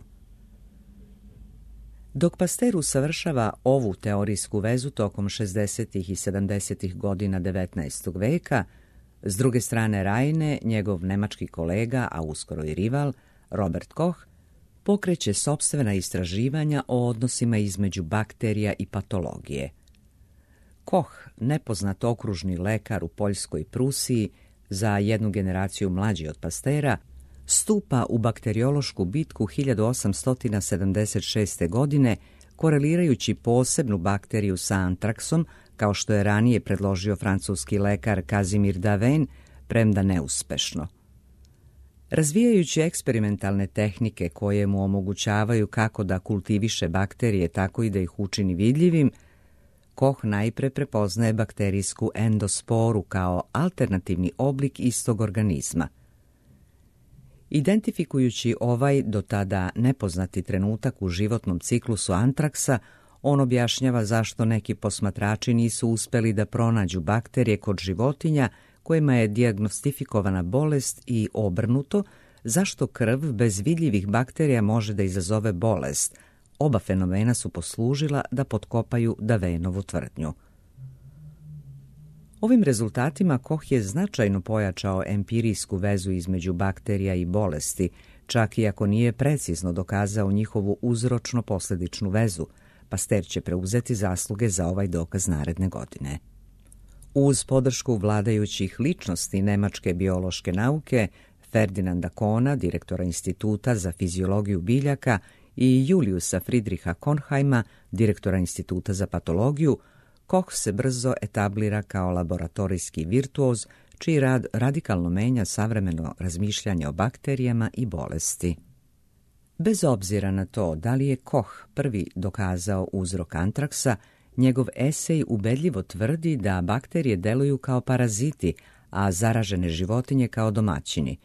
Dok Pasteur usavršava ovu teorijsku vezu tokom šezdesetih i sedamdesetih godina devetnaestog veka, s druge strane Rajne, njegov nemački kolega, a uskoro i rival, Robert Koch, pokreće sopstvena istraživanja o odnosima između bakterija i patologije. Koch, nepoznat okružni lekar u Poljskoj i Prusiji, za jednu generaciju mlađi od Pastera, stupa u bakteriološku bitku hiljadu osamsto sedamdeset šeste. godine, korelirajući posebnu bakteriju sa antraksom, kao što je ranije predložio francuski lekar Kazimir Davin, premda neuspešno. Razvijajući eksperimentalne tehnike koje mu omogućavaju kako da kultiviše bakterije, tako i da ih učini vidljivim, Koch najpre prepoznaje bakterijsku endosporu kao alternativni oblik istog organizma. Identifikujući ovaj do tada nepoznati trenutak u životnom ciklusu antraksa, on objašnjava zašto neki posmatrači nisu uspeli da pronađu bakterije kod životinja kojima je dijagnostifikovana bolest i obrnuto, zašto krv bez vidljivih bakterija može da izazove bolest. Oba fenomena su poslužila da potkopaju Davinovu tvrdnju. Ovim rezultatima Koch je značajno pojačao empirijsku vezu između bakterija i bolesti, čak i ako nije precizno dokazao njihovu uzročno-posledičnu vezu. Pasteur će preuzeti zasluge za ovaj dokaz naredne godine. Uz podršku vladajućih ličnosti nemačke biološke nauke, Ferdinanda Kohna, direktora Instituta za fiziologiju biljaka, i Juliusa Friedricha Kornheima, direktora Instituta za patologiju, Koch se brzo etablira kao laboratorijski virtuoz, čiji rad radikalno menja savremeno razmišljanje o bakterijama i bolesti. Bez obzira na to da li je Koch prvi dokazao uzrok antraksa, njegov esej ubedljivo tvrdi da bakterije deluju kao paraziti, a zaražene životinje kao domaćini.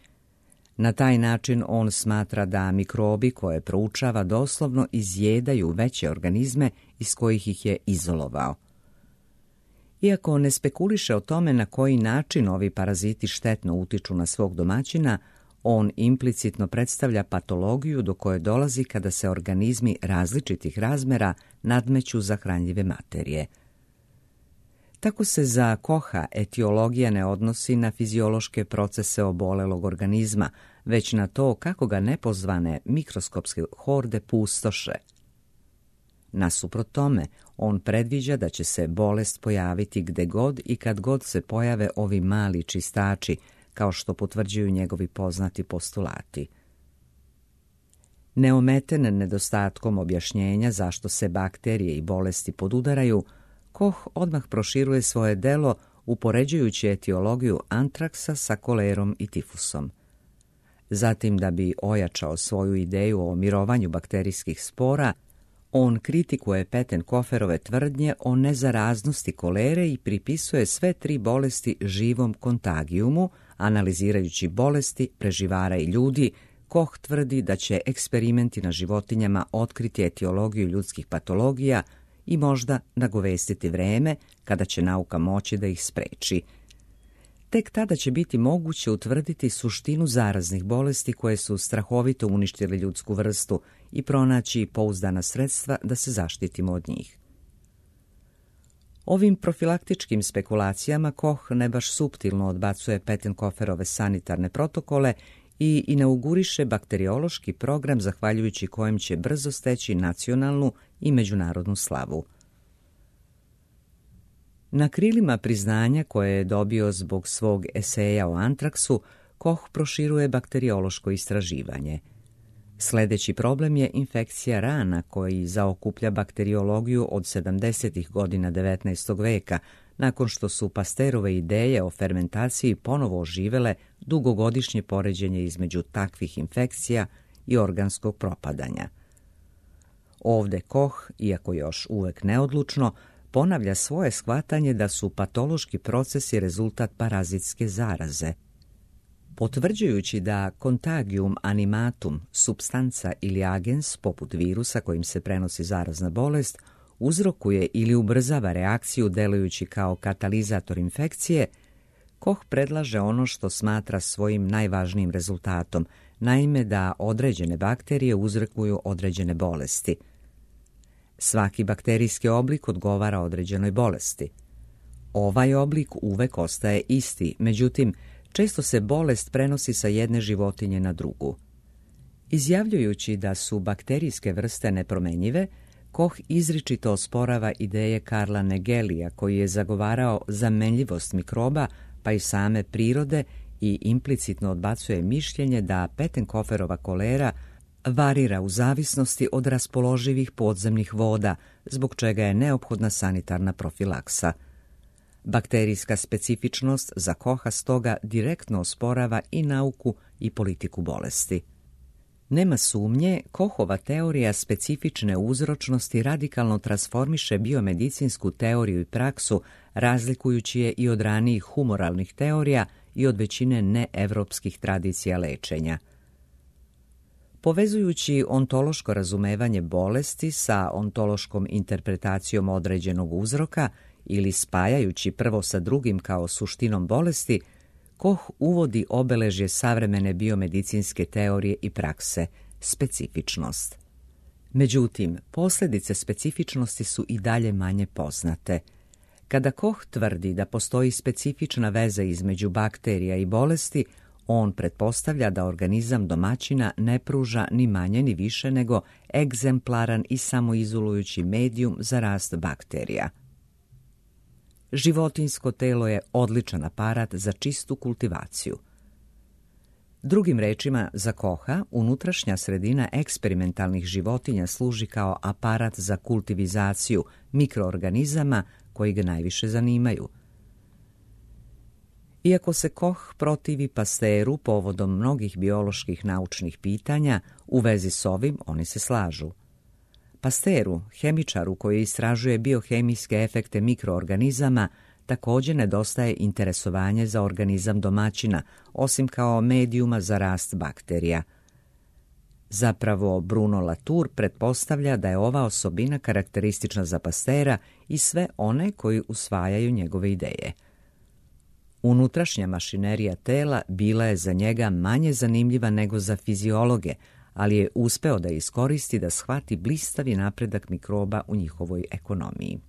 Na taj način on smatra da mikrobi koje proučava doslovno izjedaju veće organizme iz kojih ih je izolovao. Iako ne spekuliše o tome na koji način ovi paraziti štetno utiču na svog domaćina, on implicitno predstavlja patologiju do koje dolazi kada se organizmi različitih razmera nadmeću za hranljive materije. Tako se za Kocha etiologija ne odnosi na fiziološke procese obolelog organizma, već na to kako ga nepozvane mikroskopske horde pustoše. Nasuprot tome, on predviđa da će se bolest pojaviti gde god i kad god se pojave ovi mali čistači, kao što potvrđuju njegovi poznati postulati. Neometen nedostatkom objašnjenja zašto se bakterije i bolesti podudaraju, Koch odmah proširuje svoje delo upoređujući etiologiju antraksa sa kolerom i tifusom. Zatim, da bi ojačao svoju ideju o mirovanju bakterijskih spora, on kritikuje Pettenkoferove tvrdnje o nezaraznosti kolere i pripisuje sve tri bolesti živom kontagijumu. Analizirajući bolesti preživara i ljudi, Koch tvrdi da će eksperimenti na životinjama otkriti etiologiju ljudskih patologija i možda nagovestiti vreme kada će nauka moći da ih spreči. Tek tada će biti moguće utvrditi suštinu zaraznih bolesti koje su strahovito uništile ljudsku vrstu i pronaći pouzdana sredstva da se zaštitimo od njih. Ovim profilaktičkim spekulacijama Koch ne baš suptilno odbacuje Pettenkoferove sanitarne protokole i inauguriše bakteriološki program zahvaljujući kojem će brzo steći nacionalnu i međunarodnu slavu. Na krilima priznanja koje je dobio zbog svog eseja o antraksu, Koch proširuje bakteriološko istraživanje. Sljedeći problem je infekcija rana koji zaokuplja bakteriologiju od sedamdesetih godina devetnaestog veka, nakon što su Pasteurove ideje o fermentaciji ponovo oživele dugogodišnje poređenje između takvih infekcija i organskog propadanja. Ovde Koch, iako još uvek neodlučno, ponavlja svoje shvatanje da su patološki procesi rezultat parazitske zaraze. Potvrđujući da contagium animatum, supstanca ili agens, poput virusa kojim se prenosi zarazna bolest, uzrokuje ili ubrzava reakciju delujući kao katalizator infekcije, Koch predlaže ono što smatra svojim najvažnijim rezultatom, naime da određene bakterije uzrokuju određene bolesti. Svaki bakterijski oblik odgovara određenoj bolesti. Ovaj oblik uvek ostaje isti, međutim, često se bolest prenosi sa jedne životinje na drugu. Izjavljujući da su bakterijske vrste nepromenjive, Koch izričito osporava ideje Karla Nagelija, koji je zagovarao zamenljivost mikroba, pa i same prirode, i implicitno odbacuje mišljenje da Pettenkoferova kolera varira u zavisnosti od raspoloživih podzemnih voda, zbog čega je neophodna sanitarna profilaksa. Bakterijska specifičnost za Koha stoga direktno osporava i nauku i politiku bolesti. Nema sumnje, Kohova teorija specifične uzročnosti radikalno transformiše biomedicinsku teoriju i praksu, razlikujući je i od ranijih humoralnih teorija i od većine neevropskih tradicija lečenja. Povezujući ontološko razumevanje bolesti sa ontološkom interpretacijom određenog uzroka ili spajajući prvo sa drugim kao suštinom bolesti, Koh uvodi obeležje savremene biomedicinske teorije i prakse, specifičnost. Međutim, posljedice specifičnosti su i dalje manje poznate. Kada Koh tvrdi da postoji specifična veza između bakterija i bolesti, on pretpostavlja da organizam domaćina ne pruža ni manje ni više nego egzemplaran i samoizolujući medijum za rast bakterija. Životinjsko telo je odličan aparat za čistu kultivaciju. Drugim rečima, za Koha, unutrašnja sredina eksperimentalnih životinja služi kao aparat za kultivizaciju mikroorganizama koji ga najviše zanimaju. Iako se Koh protivi Pasteuru povodom mnogih bioloških naučnih pitanja, u vezi s ovim oni se slažu. Pasteuru, hemičaru koji istražuje biohemijske efekte mikroorganizama, također nedostaje interesovanje za organizam domaćina, osim kao medijuma za rast bakterija. Zapravo, Bruno Latour pretpostavlja da je ova osobina karakteristična za Pasteura i sve one koji usvajaju njegove ideje. Unutrašnja mašinerija tela bila je za njega manje zanimljiva nego za fiziologe, ali je uspeo da iskoristi da shvati blistavi napredak mikroba u njihovoj ekonomiji.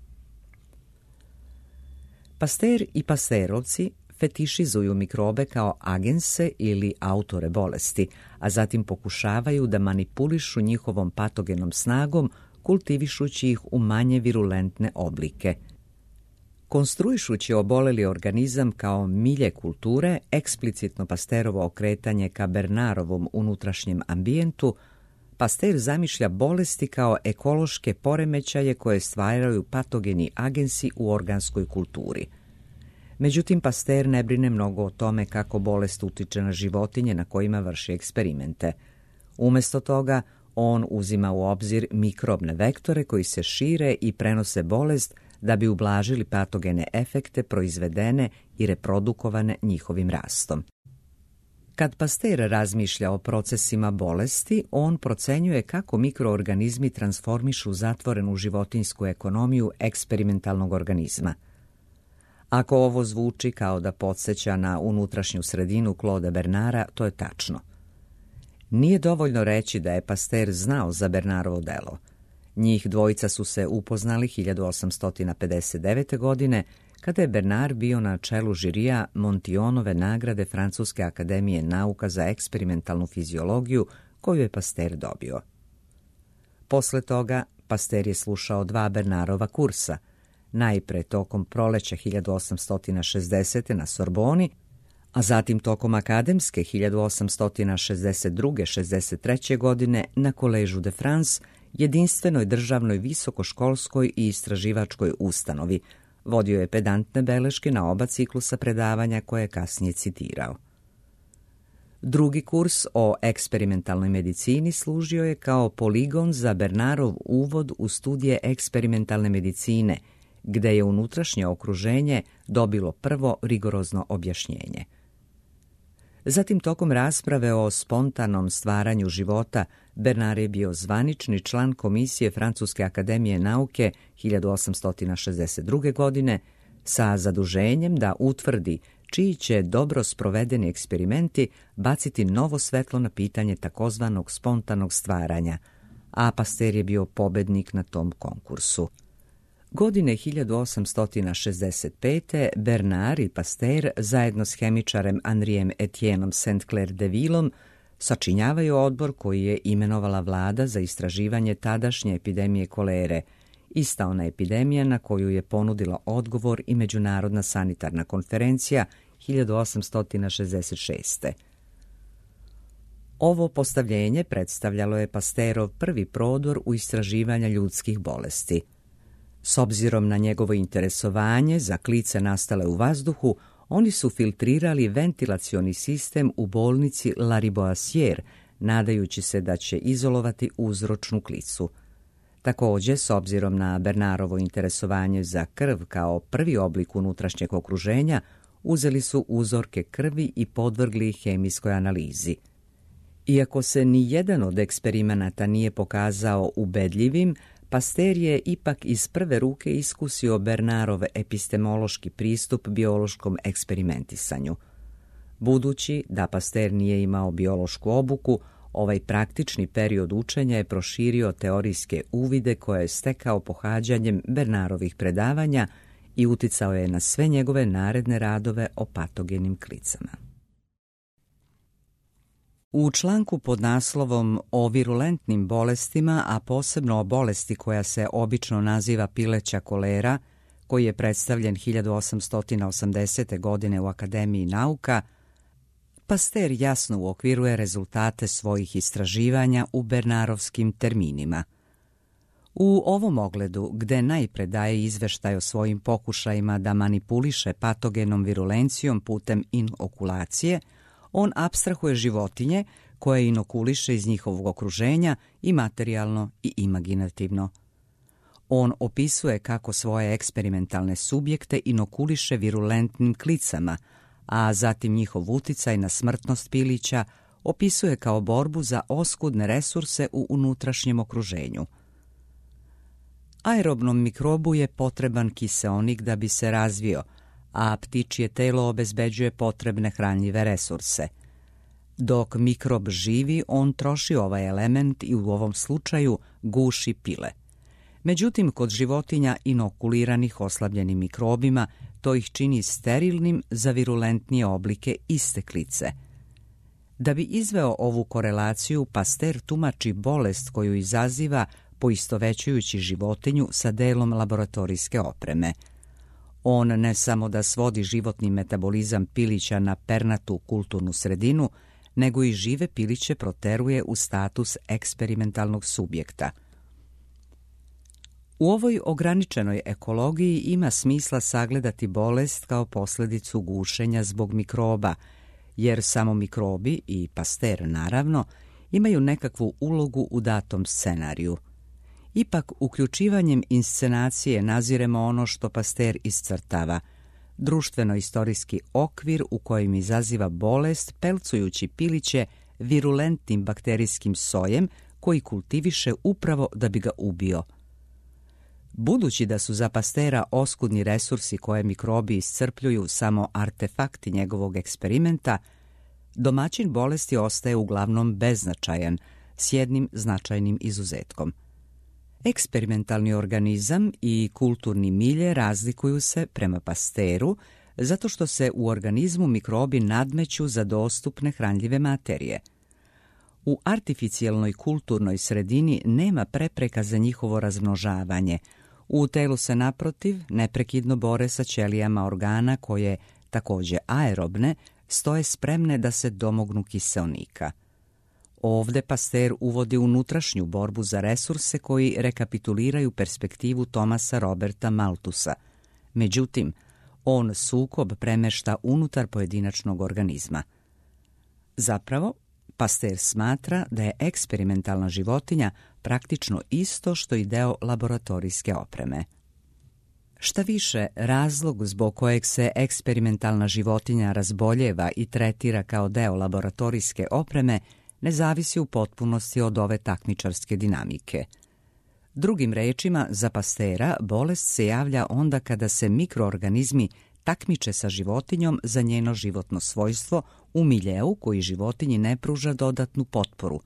Pasteur i Pasteurovci fetišizuju mikrobe kao agense ili autore bolesti, a zatim pokušavaju da manipulišu njihovom patogenom snagom, kultivišući ih u manje virulentne oblike. Konstruišući oboleli organizam kao milje kulture, eksplicitno Pasteurovo okretanje ka Bernarovom unutrašnjem ambijentu, Pasteur zamišlja bolesti kao ekološke poremećaje koje stvaraju patogeni agensi u organskoj kulturi. Međutim, Pasteur ne brine mnogo o tome kako bolest utiče na životinje na kojima vrši eksperimente. Umjesto toga, on uzima u obzir mikrobne vektore koji se šire i prenose bolest da bi ublažili patogene efekte proizvedene i reprodukovane njihovim rastom. Kad Pasteur razmišlja o procesima bolesti, on procenjuje kako mikroorganizmi transformišu zatvorenu životinjsku ekonomiju eksperimentalnog organizma. Ako ovo zvuči kao da podsjeća na unutrašnju sredinu Claude Bernara, to je tačno. Nije dovoljno reći da je Pasteur znao za Bernarovo delo. Njih dvojica su se upoznali hiljadu osamsto pedeset devete. godine, kada je Bernard bio na čelu žirija Montionove nagrade Francuske akademije nauka za eksperimentalnu fiziologiju koju je Pasteur dobio. Posle toga Pasteur je slušao dva Bernarova kursa, najpre tokom proleća hiljadu osamsto šezdesete. na Sorboni, a zatim tokom akademske hiljadu osamsto šezdeset druge šezdeset treće. godine na Collège de France, jedinstvenoj državnoj visokoškolskoj i istraživačkoj ustanovi. Vodio je pedantne beleške na oba ciklusa predavanja koje je kasnije citirao. Drugi kurs o eksperimentalnoj medicini služio je kao poligon za Bernarov uvod u studije eksperimentalne medicine, gde je unutrašnje okruženje dobilo prvo rigorozno objašnjenje. Zatim, tokom rasprave o spontanom stvaranju života, Bernard je bio zvanični član Komisije Francuske akademije nauke hiljadu osamsto šezdeset druge. godine sa zaduženjem da utvrdi čiji će dobro sprovedeni eksperimenti baciti novo svetlo na pitanje takozvanog spontanog stvaranja, a Pasteur je bio pobednik na tom konkursu. Godine hiljadu osamsto šezdeset pete. Bernard i Pasteur zajedno s hemičarem Henrijem Etienneom Saint-Clair de Villom Sačinjavaju odbor koji je imenovala vlada za istraživanje tadašnje epidemije kolere, ista ona epidemija na koju je ponudila odgovor i Međunarodna sanitarna konferencija hiljadu osamsto šezdeset šeste. Ovo postavljenje predstavljalo je Pasteurov prvi prodor u istraživanja ljudskih bolesti. S obzirom na njegovo interesovanje za klice nastale u vazduhu, oni su filtrirali ventilacioni sistem u bolnici Lariboisière, nadajući se da će izolovati uzročnu klicu. Također, s obzirom na Bernarovo interesovanje za krv kao prvi oblik unutrašnjeg okruženja, uzeli su uzorke krvi i podvrgli ih hemijskoj analizi. Iako se ni jedan od eksperimenata nije pokazao ubedljivim, Pasteur je ipak iz prve ruke iskusio Bernarov epistemološki pristup biološkom eksperimentisanju. Budući da Pasteur nije imao biološku obuku, ovaj praktični period učenja je proširio teorijske uvide koje je stekao pohađanjem Bernarovih predavanja i uticao je na sve njegove naredne radove o patogenim klicama. U članku pod naslovom o virulentnim bolestima, a posebno o bolesti koja se obično naziva pileća kolera, koji je predstavljen hiljadu osamsto osamdesete. godine u Akademiji nauka, Pasteur jasno uokviruje rezultate svojih istraživanja u bernarovskim terminima. U ovom ogledu, gde najpre daje izveštaj o svojim pokušajima da manipuliše patogenom virulencijom putem inokulacije, on apstrahuje životinje koje inokuliše iz njihovog okruženja i materijalno i imaginativno. On opisuje kako svoje eksperimentalne subjekte inokuliše virulentnim klicama, a zatim njihov uticaj na smrtnost pilića opisuje kao borbu za oskudne resurse u unutrašnjem okruženju. Aerobnom mikrobu je potreban kiseonik da bi se razvio, a ptičje telo obezbeđuje potrebne hranljive resurse. Dok mikrob živi, on troši ovaj element i u ovom slučaju guši pile. Međutim, kod životinja inokuliranih oslabljenim mikrobima, to ih čini sterilnim za virulentnije oblike iste klice. Da bi izveo ovu korelaciju, Pasteur tumači bolest koju izaziva poistovećujući životinju sa delom laboratorijske opreme. On ne samo da svodi životni metabolizam pilića na pernatu kulturnu sredinu, nego i žive piliće proteruje u status eksperimentalnog subjekta. U ovoj ograničenoj ekologiji ima smisla sagledati bolest kao posljedicu gušenja zbog mikroba, jer samo mikrobi, i Pasteur naravno, imaju nekakvu ulogu u datom scenariju. Ipak, uključivanjem inscenacije naziremo ono što Pasteur iscrtava, društveno-istorijski okvir u kojem izaziva bolest pelcujući piliće virulentnim bakterijskim sojem koji kultiviše upravo da bi ga ubio. Budući da su za Pasteura oskudni resursi koje mikrobi iscrpljuju samo artefakti njegovog eksperimenta, domaćin bolesti ostaje uglavnom beznačajan, s jednim značajnim izuzetkom. Eksperimentalni organizam i kulturni milje razlikuju se prema Pasteuru zato što se u organizmu mikrobi nadmeću za dostupne hranljive materije. U artificijelnoj kulturnoj sredini nema prepreka za njihovo razmnožavanje. U telu se naprotiv neprekidno bore sa ćelijama organa koje, također aerobne, stoje spremne da se domognu kiseonika. Ovde Pasteur uvodi unutrašnju borbu za resurse koji rekapituliraju perspektivu Thomasa Roberta Malthusa. Međutim, on sukob premešta unutar pojedinačnog organizma. Zapravo, Pasteur smatra da je eksperimentalna životinja praktično isto što i deo laboratorijske opreme. Šta više, razlog zbog kojeg se eksperimentalna životinja razboljeva i tretira kao deo laboratorijske opreme ne zavisi u potpunosti od ove takmičarske dinamike. Drugim rečima, za Pasteura bolest se javlja onda kada se mikroorganizmi takmiče sa životinjom za njeno životno svojstvo u miljeu koji životinji ne pruža dodatnu potporu,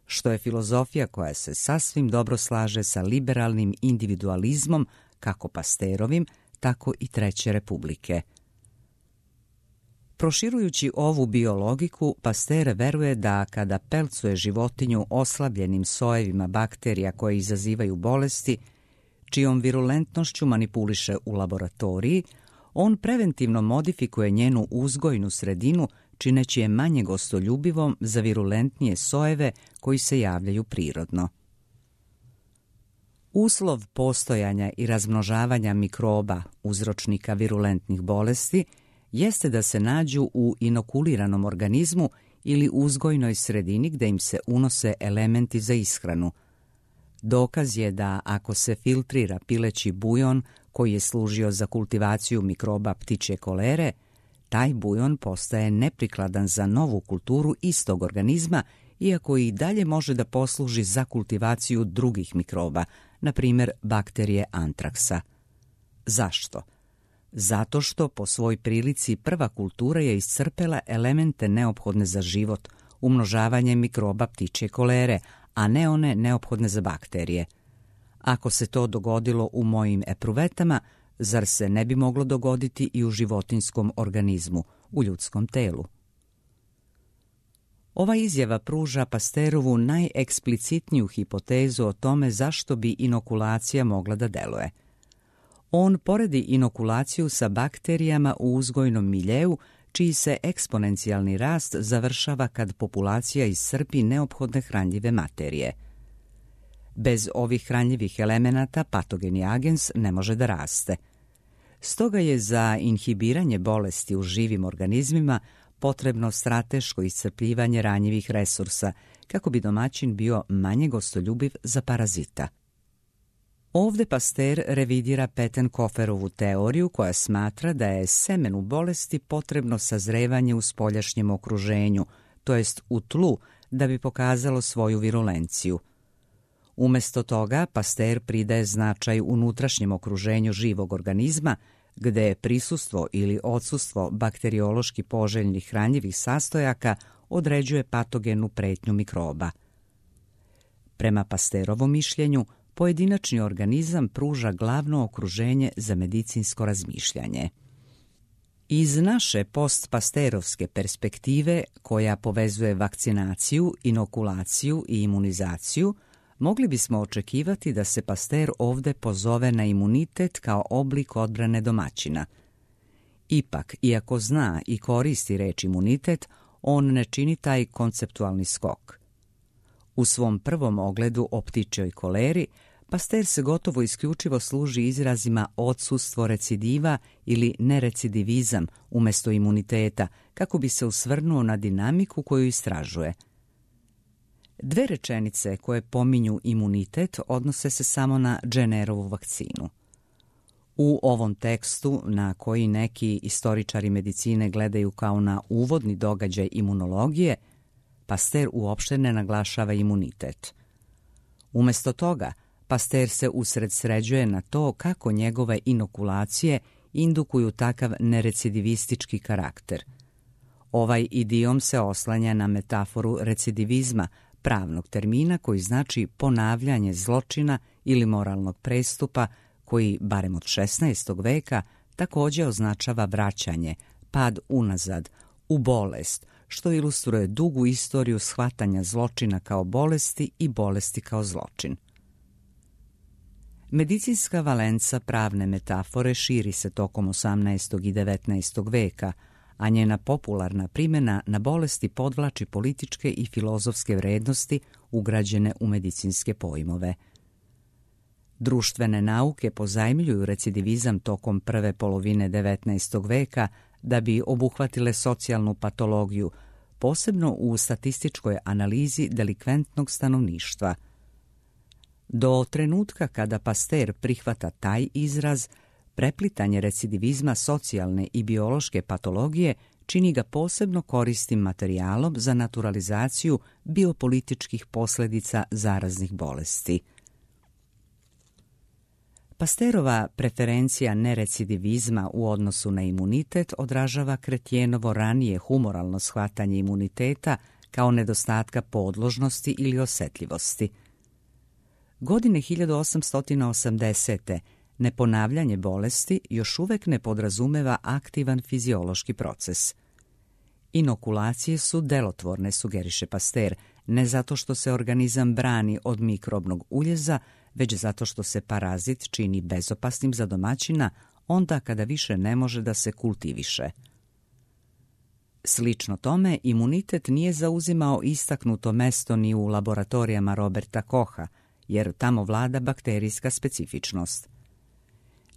što je filozofija koja se sasvim dobro slaže sa liberalnim individualizmom kako Pasteurovim, tako i Treće republike. Proširujući ovu biologiku, Pasteur veruje da kada pelcuje životinju oslabljenim sojevima bakterija koje izazivaju bolesti, čijom virulentnošću manipuliše u laboratoriji, on preventivno modifikuje njenu uzgojnu sredinu, čineći je manje gostoljubivom za virulentnije sojeve koji se javljaju prirodno. Uslov postojanja i razmnožavanja mikroba, uzročnika virulentnih bolesti, jeste da se nađu u inokuliranom organizmu ili uzgojnoj sredini gde im se unose elementi za ishranu. Dokaz je da ako se filtrira pileći bujon koji je služio za kultivaciju mikroba ptičje kolere, taj bujon postaje neprikladan za novu kulturu istog organizma, iako i dalje može da posluži za kultivaciju drugih mikroba, na primjer bakterije antraksa. Zašto? Zato što po svoj prilici prva kultura je iscrpela elemente neophodne za život, umnožavanje mikroba ptičje kolere, a ne one neophodne za bakterije. Ako se to dogodilo u mojim epruvetama, zar se ne bi moglo dogoditi i u životinjskom organizmu, u ljudskom telu? Ova izjava pruža Pasteurovu najeksplicitniju hipotezu o tome zašto bi inokulacija mogla da deluje. On poredi inokulaciju sa bakterijama u uzgojnom miljeu, čiji se eksponencijalni rast završava kad populacija iscrpi neophodne hranljive materije. Bez ovih hranljivih elemenata patogeni agens ne može da raste. Stoga je za inhibiranje bolesti u živim organizmima potrebno strateško iscrpljivanje ranjivih resursa, kako bi domaćin bio manje gostoljubiv za parazita. Ovde Pasteur revidira Pettenkoferovu teoriju koja smatra da je semenu bolesti potrebno sazrevanje u spoljašnjem okruženju, to jest u tlu, da bi pokazalo svoju virulenciju. Umesto toga, Pasteur pridaje značaj unutrašnjem okruženju živog organizma, gde je prisustvo ili odsustvo bakteriološki poželjnih hranjivih sastojaka određuje patogenu pretnju mikroba. Prema Pasteurovom mišljenju, pojedinačni organizam pruža glavno okruženje za medicinsko razmišljanje. Iz naše postpasteurovske perspektive, koja povezuje vakcinaciju, inokulaciju i imunizaciju, mogli bismo očekivati da se Pasteur ovde pozove na imunitet kao oblik odbrane domaćina. Ipak, iako zna i koristi reč imunitet, on ne čini taj konceptualni skok. U svom prvom ogledu o ptičjoj koleri, Pasteur se gotovo isključivo služi izrazima odsustvo recidiva ili nerecidivizam umesto imuniteta, kako bi se usvrnuo na dinamiku koju istražuje. Dve rečenice koje pominju imunitet odnose se samo na Jennerovu vakcinu. U ovom tekstu, na koji neki istoričari medicine gledaju kao na uvodni događaj imunologije, Pasteur uopšte ne naglašava imunitet. Umesto toga, Pasteur se usredsređuje na to kako njegove inokulacije indukuju takav nerecidivistički karakter. Ovaj idiom se oslanja na metaforu recidivizma, pravnog termina koji znači ponavljanje zločina ili moralnog prestupa, koji, barem od šesnaestog veka, također označava vraćanje, pad unazad, u bolest, što ilustruje dugu istoriju shvatanja zločina kao bolesti i bolesti kao zločin. Medicinska valenca pravne metafore širi se tokom osamnaestog i devetnaestog veka, a njena popularna primjena na bolesti podvlači političke i filozofske vrednosti ugrađene u medicinske pojmove. Društvene nauke pozajmljuju recidivizam tokom prve polovine devetnaestog veka da bi obuhvatile socijalnu patologiju, posebno u statističkoj analizi delikventnog stanovništva. Do trenutka kada Pasteur prihvata taj izraz, preplitanje recidivizma socijalne i biološke patologije čini ga posebno korisnim materijalom za naturalizaciju biopolitičkih posljedica zaraznih bolesti. Pasteurova preferencija nerecidivizma u odnosu na imunitet odražava Kretjenovo ranije humoralno shvatanje imuniteta kao nedostatka podložnosti ili osetljivosti. Godine hiljadu osamsto osamdesete neponavljanje bolesti još uvek ne podrazumeva aktivan fiziološki proces. Inokulacije su delotvorne, sugeriše Pasteur, ne zato što se organizam brani od mikrobnog uljeza, već zato što se parazit čini bezopasnim za domaćina onda kada više ne može da se kultiviše. Slično tome, imunitet nije zauzimao istaknuto mesto ni u laboratorijama Roberta Kocha, jer tamo vlada bakterijska specifičnost.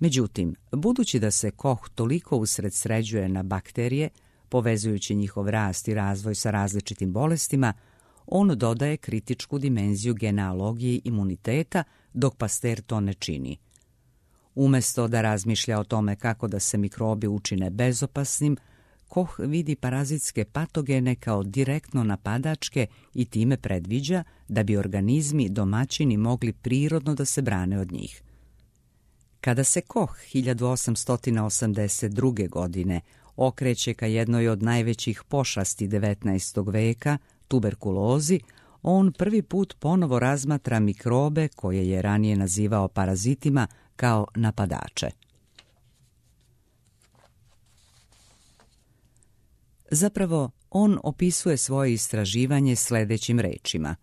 Međutim, budući da se Koch toliko usredsređuje na bakterije, povezujući njihov rast i razvoj sa različitim bolestima, on dodaje kritičku dimenziju genealogiji imuniteta, dok Pasteur to ne čini. Umesto da razmišlja o tome kako da se mikrobi učine bezopasnim, Koch vidi parazitske patogene kao direktno napadačke i time predviđa da bi organizmi domaćini mogli prirodno da se brane od njih. Kada se Koch hiljadu osamsto osamdeset druge. godine okreće ka jednoj od najvećih pošasti devetnaestog veka, tuberkulozi, on prvi put ponovo razmatra mikrobe koje je ranije nazivao parazitima kao napadače. Zapravo, on opisuje svoje istraživanje sledećim rečima.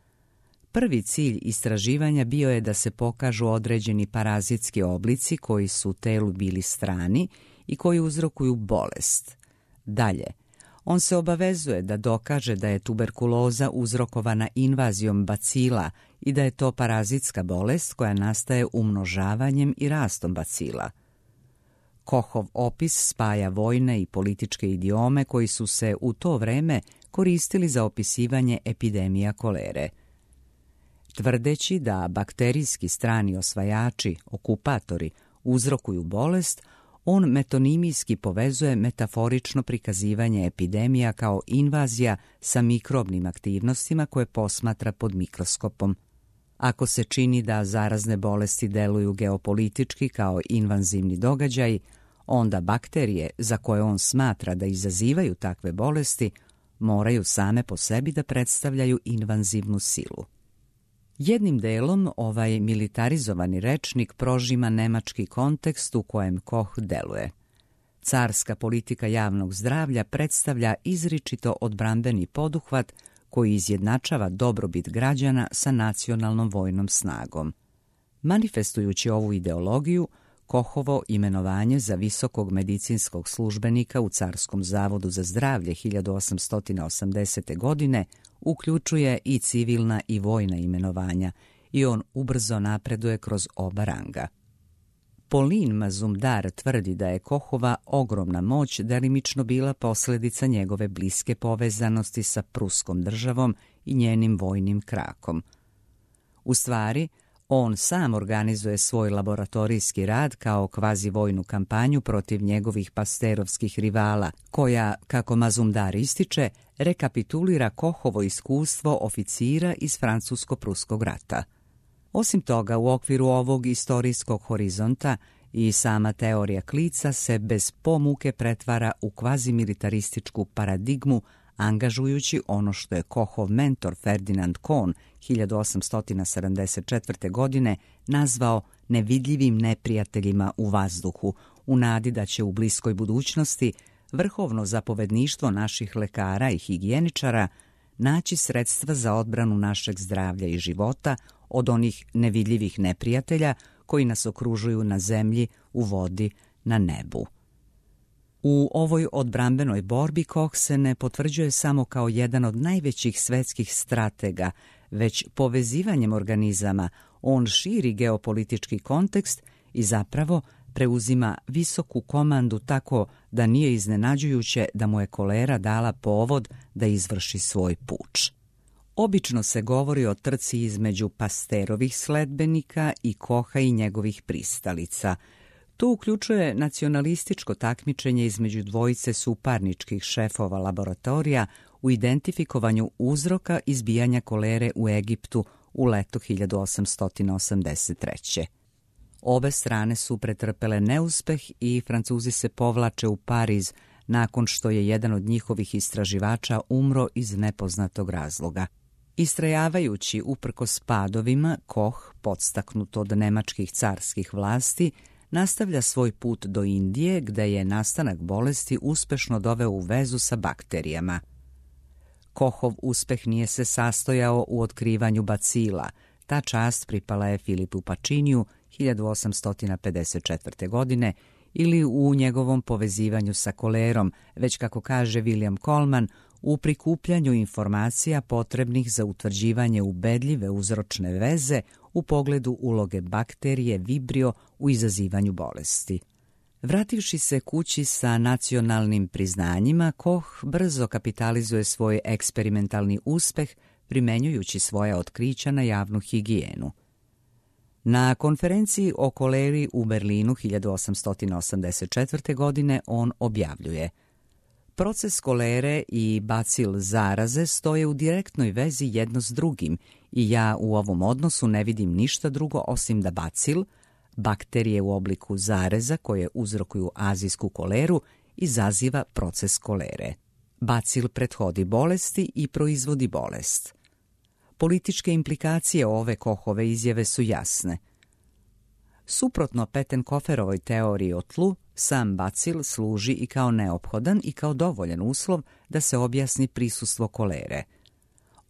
Prvi cilj istraživanja bio je da se pokažu određeni parazitski oblici koji su telu bili strani i koji uzrokuju bolest. Dalje, on se obavezuje da dokaže da je tuberkuloza uzrokovana invazijom bacila i da je to parazitska bolest koja nastaje umnožavanjem i rastom bacila. Kochov opis spaja vojne i političke idiome koji su se u to vreme koristili za opisivanje epidemija kolere. Tvrdeći da bakterijski strani osvajači, okupatori, uzrokuju bolest, on metonimijski povezuje metaforično prikazivanje epidemija kao invazija sa mikrobnim aktivnostima koje posmatra pod mikroskopom. Ako se čini da zarazne bolesti deluju geopolitički kao invazivni događaj, onda bakterije za koje on smatra da izazivaju takve bolesti moraju same po sebi da predstavljaju invazivnu silu. Jednim delom ovaj militarizovani rečnik prožima nemački kontekst u kojem Koch deluje. Carska politika javnog zdravlja predstavlja izričito odbrambeni poduhvat koji izjednačava dobrobit građana sa nacionalnom vojnom snagom. Manifestujući ovu ideologiju, Kochovo imenovanje za visokog medicinskog službenika u Carskom zavodu za zdravlje hiljadu osamsto osamdesete. godine uključuje i civilna i vojna imenovanja i on ubrzo napreduje kroz oba ranga. Pauline Mazumdar tvrdi da je Kochova ogromna moć delimično bila posljedica njegove bliske povezanosti sa Pruskom državom i njenim vojnim krakom. U stvari, on sam organizuje svoj laboratorijski rad kao kvazi-vojnu kampanju protiv njegovih pasterovskih rivala, koja, kako Mazumdar ističe, rekapitulira Kochovo iskustvo oficira iz Francusko-Pruskog rata. Osim toga, u okviru ovog istorijskog horizonta i sama teorija klica se bez pomuke pretvara u kvazimilitarističku paradigmu, angažujući ono što je Kochov mentor Ferdinand Kohn hiljadu osamsto sedamdeset četvrte. godine nazvao nevidljivim neprijateljima u vazduhu, u nadi da će u bliskoj budućnosti vrhovno zapovedništvo naših lekara i higijeničara naći sredstva za odbranu našeg zdravlja i života od onih nevidljivih neprijatelja koji nas okružuju na zemlji, u vodi, na nebu. U ovoj odbrambenoj borbi Koch se ne potvrđuje samo kao jedan od najvećih svetskih stratega, već povezivanjem organizama on širi geopolitički kontekst i zapravo preuzima visoku komandu tako da nije iznenađujuće da mu je kolera dala povod da izvrši svoj puč. Obično se govori o trci između Pasteurovih sledbenika i Kocha i njegovih pristalica. To uključuje nacionalističko takmičenje između dvojice suparničkih šefova laboratorija u identifikovanju uzroka izbijanja kolere u Egiptu u leto hiljadu osamsto osamdeset treće. Obe strane su pretrpele neuspeh i Francuzi se povlače u Pariz nakon što je jedan od njihovih istraživača umro iz nepoznatog razloga. Istrajavajući uprkos padovima, Koch, podstaknut od nemačkih carskih vlasti, nastavlja svoj put do Indije, gde je nastanak bolesti uspešno doveo u vezu sa bakterijama. Kohov uspeh nije se sastojao u otkrivanju bacila. Ta čast pripala je Filipu Paciniju hiljadu osamsto pedeset četvrte. godine ili u njegovom povezivanju sa kolerom, već kako kaže William Coleman, u prikupljanju informacija potrebnih za utvrđivanje ubedljive uzročne veze u pogledu uloge bakterije Vibrio u izazivanju bolesti. Vrativši se kući sa nacionalnim priznanjima, Koch brzo kapitalizuje svoj eksperimentalni uspeh primenjujući svoja otkrića na javnu higijenu. Na konferenciji o koleri u Berlinu hiljadu osamsto osamdeset četvrte. godine on objavljuje: proces kolere i bacil zaraze stoje u direktnoj vezi jedno s drugim i ja u ovom odnosu ne vidim ništa drugo osim da bacil, bakterije u obliku zareza koje uzrokuju azijsku koleru, izaziva proces kolere. Bacil prethodi bolesti i proizvodi bolest. Političke implikacije ove Kohove izjave su jasne. Suprotno Pettenkoferovoj teoriji o tlu, sam bacil služi i kao neophodan i kao dovoljan uslov da se objasni prisustvo kolere.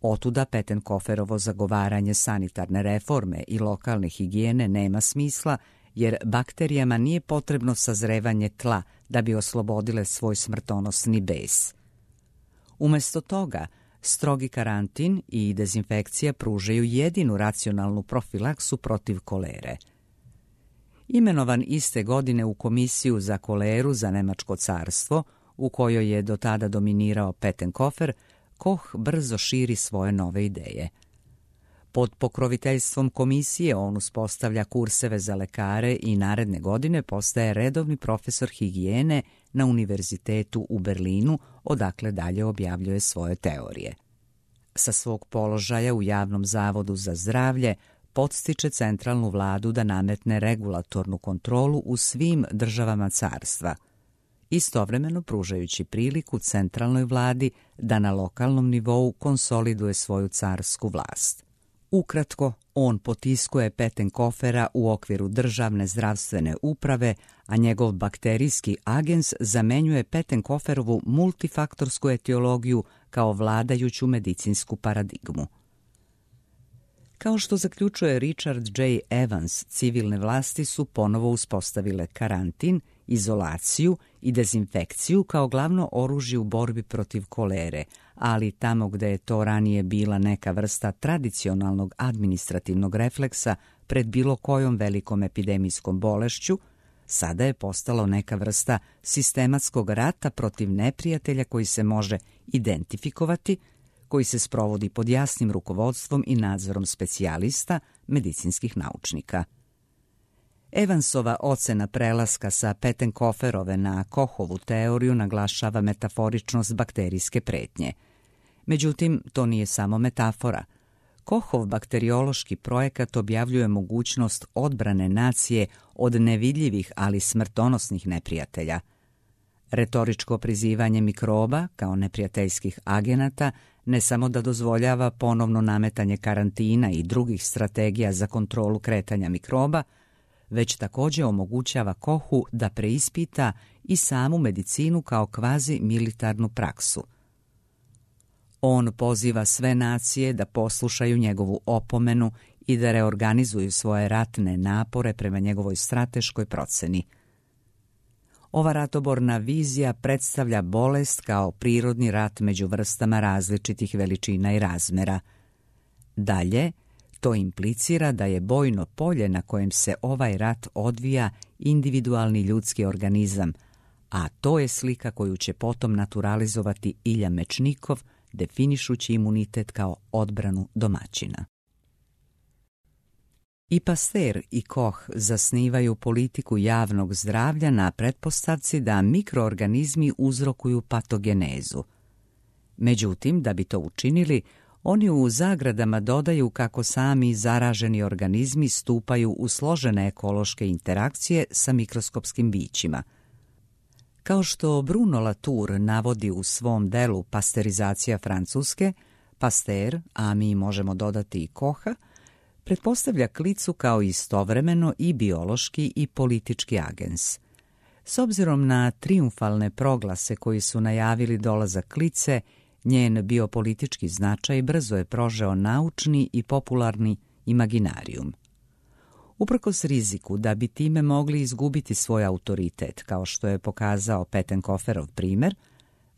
Otuda Pettenkoferovo zagovaranje sanitarne reforme i lokalne higijene nema smisla, jer bakterijama nije potrebno sazrevanje tla da bi oslobodile svoj smrtonosni bes. Umesto toga, strogi karantin i dezinfekcija pružaju jedinu racionalnu profilaksu protiv kolere. Imenovan iste godine u komisiju za koleru za Nemačko carstvo, u kojoj je do tada dominirao Pettenkofer, Koch brzo širi svoje nove ideje. Pod pokroviteljstvom komisije on uspostavlja kurseve za lekare i naredne godine postaje redovni profesor higijene na univerzitetu u Berlinu, odakle dalje objavljuje svoje teorije. Sa svog položaja u Javnom zavodu za zdravlje podstiče centralnu vladu da nametne regulatornu kontrolu u svim državama carstva, istovremeno pružajući priliku centralnoj vladi da na lokalnom nivou konsoliduje svoju carsku vlast. Ukratko, on potiskuje Pettenkofera u okviru državne zdravstvene uprave, a njegov bakterijski agens zamenjuje Pettenkoferovu multifaktorsku etiologiju kao vladajuću medicinsku paradigmu. Kao što zaključuje Richard J. Evans, civilne vlasti su ponovo uspostavile karantin, izolaciju i dezinfekciju kao glavno oružje u borbi protiv kolere, ali tamo gde je to ranije bila neka vrsta tradicionalnog administrativnog refleksa pred bilo kojom velikom epidemijskom bolešću, sada je postalo neka vrsta sistematskog rata protiv neprijatelja koji se može identifikovati, koji se sprovodi pod jasnim rukovodstvom i nadzorom specijalista, medicinskih naučnika. Evansova ocena prelaska sa Pettenkoferove na Kochovu teoriju naglašava metaforičnost bakterijske pretnje. Međutim, to nije samo metafora. Kochov bakteriološki projekat objavljuje mogućnost odbrane nacije od nevidljivih, ali smrtonosnih neprijatelja. Retoričko prizivanje mikroba kao neprijateljskih agenata ne samo da dozvoljava ponovno nametanje karantina i drugih strategija za kontrolu kretanja mikroba, već također omogućava Kochu da preispita i samu medicinu kao kvazi militarnu praksu. On poziva sve nacije da poslušaju njegovu opomenu i da reorganizuju svoje ratne napore prema njegovoj strateškoj proceni. Ova ratoborna vizija predstavlja bolest kao prirodni rat među vrstama različitih veličina i razmera. Dalje, to implicira da je bojno polje na kojem se ovaj rat odvija individualni ljudski organizam, a to je slika koju će potom naturalizovati Ilja Mečnikov, definišući imunitet kao odbranu domaćina. I Pasteur i Koch zasnivaju politiku javnog zdravlja na pretpostavci da mikroorganizmi uzrokuju patogenezu. Međutim, da bi to učinili, oni u zagradama dodaju kako sami zaraženi organizmi stupaju u složene ekološke interakcije sa mikroskopskim bićima. Kao što Bruno Latour navodi u svom delu Pasteurizacija Francuske, Pasteur, a mi možemo dodati i Kocha, pretpostavlja klicu kao istovremeno i biološki i politički agens. S obzirom na trijumfalne proglase koji su najavili dolazak klice, njen biopolitički značaj brzo je prožeo naučni i popularni imaginarijum. Uprkos riziku da bi time mogli izgubiti svoj autoritet, kao što je pokazao Pettenkoferov primer,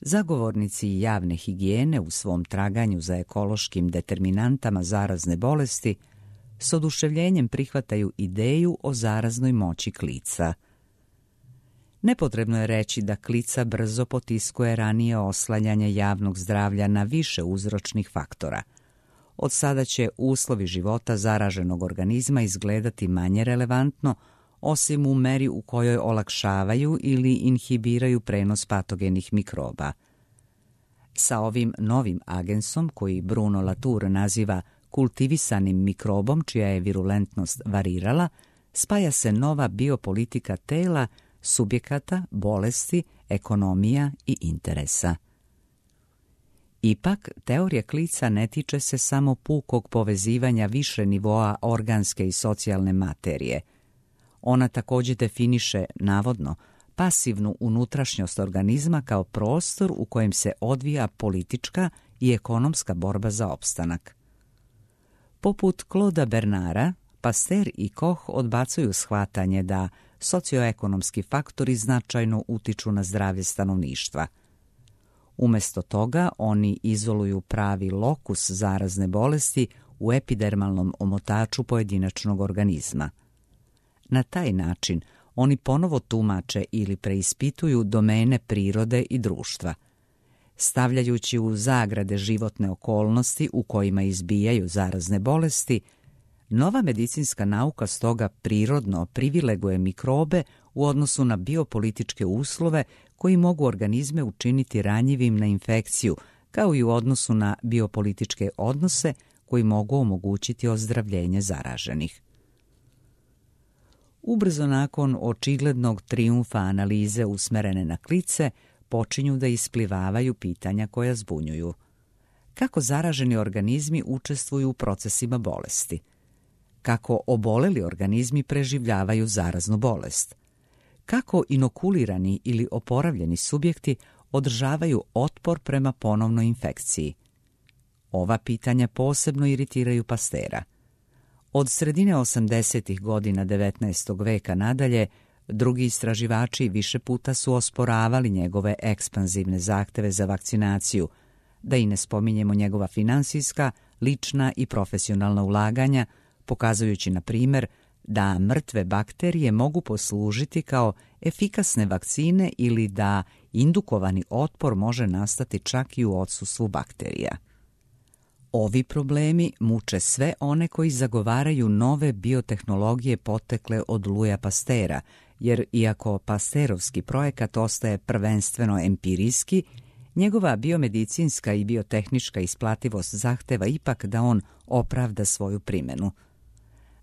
zagovornici javne higijene u svom traganju za ekološkim determinantama zarazne bolesti s oduševljenjem prihvataju ideju o zaraznoj moći klica. Nepotrebno je reći da klica brzo potiskuje ranije oslanjanje javnog zdravlja na više uzročnih faktora. Od sada će uslovi života zaraženog organizma izgledati manje relevantno, osim u meri u kojoj olakšavaju ili inhibiraju prenos patogenih mikroba. Sa ovim novim agensom, koji Bruno Latour naziva kultivisanim mikrobom čija je virulentnost varirala, spaja se nova biopolitika tela, subjekata, bolesti, ekonomija i interesa. Ipak, teorija klica ne tiče se samo pukog povezivanja više nivoa organske i socijalne materije. Ona također definiše, navodno, pasivnu unutrašnjost organizma kao prostor u kojem se odvija politička i ekonomska borba za opstanak. Poput Claude'a Bernara, Pasteur i Koch odbacuju shvatanje da socioekonomski faktori značajno utiču na zdravlje stanovništva. Umjesto toga, oni izoluju pravi lokus zarazne bolesti u epidermalnom omotaču pojedinačnog organizma. Na taj način oni ponovo tumače ili preispituju domene prirode i društva. Stavljajući u zagrade životne okolnosti u kojima izbijaju zarazne bolesti, nova medicinska nauka stoga prirodno privileguje mikrobe u odnosu na biopolitičke uslove koji mogu organizme učiniti ranjivim na infekciju, kao i u odnosu na biopolitičke odnose koji mogu omogućiti ozdravljenje zaraženih. Ubrzo nakon očiglednog trijumfa analize usmerene na klice, počinju da isplivavaju pitanja koja zbunjuju. Kako zaraženi organizmi učestvuju u procesima bolesti? Kako oboleli organizmi preživljavaju zaraznu bolest? Kako inokulirani ili oporavljeni subjekti održavaju otpor prema ponovnoj infekciji? Ova pitanja posebno iritiraju Pasteura. Od sredine osamdesetih godina devetnaestog veka nadalje, drugi istraživači više puta su osporavali njegove ekspanzivne zahteve za vakcinaciju, da i ne spominjemo njegova finansijska, lična i profesionalna ulaganja, pokazujući, na primjer, da mrtve bakterije mogu poslužiti kao efikasne vakcine ili da indukovani otpor može nastati čak i u odsustvu bakterija. Ovi problemi muče sve one koji zagovaraju nove biotehnologije potekle od Louisa Pasteura, jer iako Pasteurovski projekat ostaje prvenstveno empirijski, njegova biomedicinska i biotehnička isplativost zahteva ipak da on opravda svoju primjenu.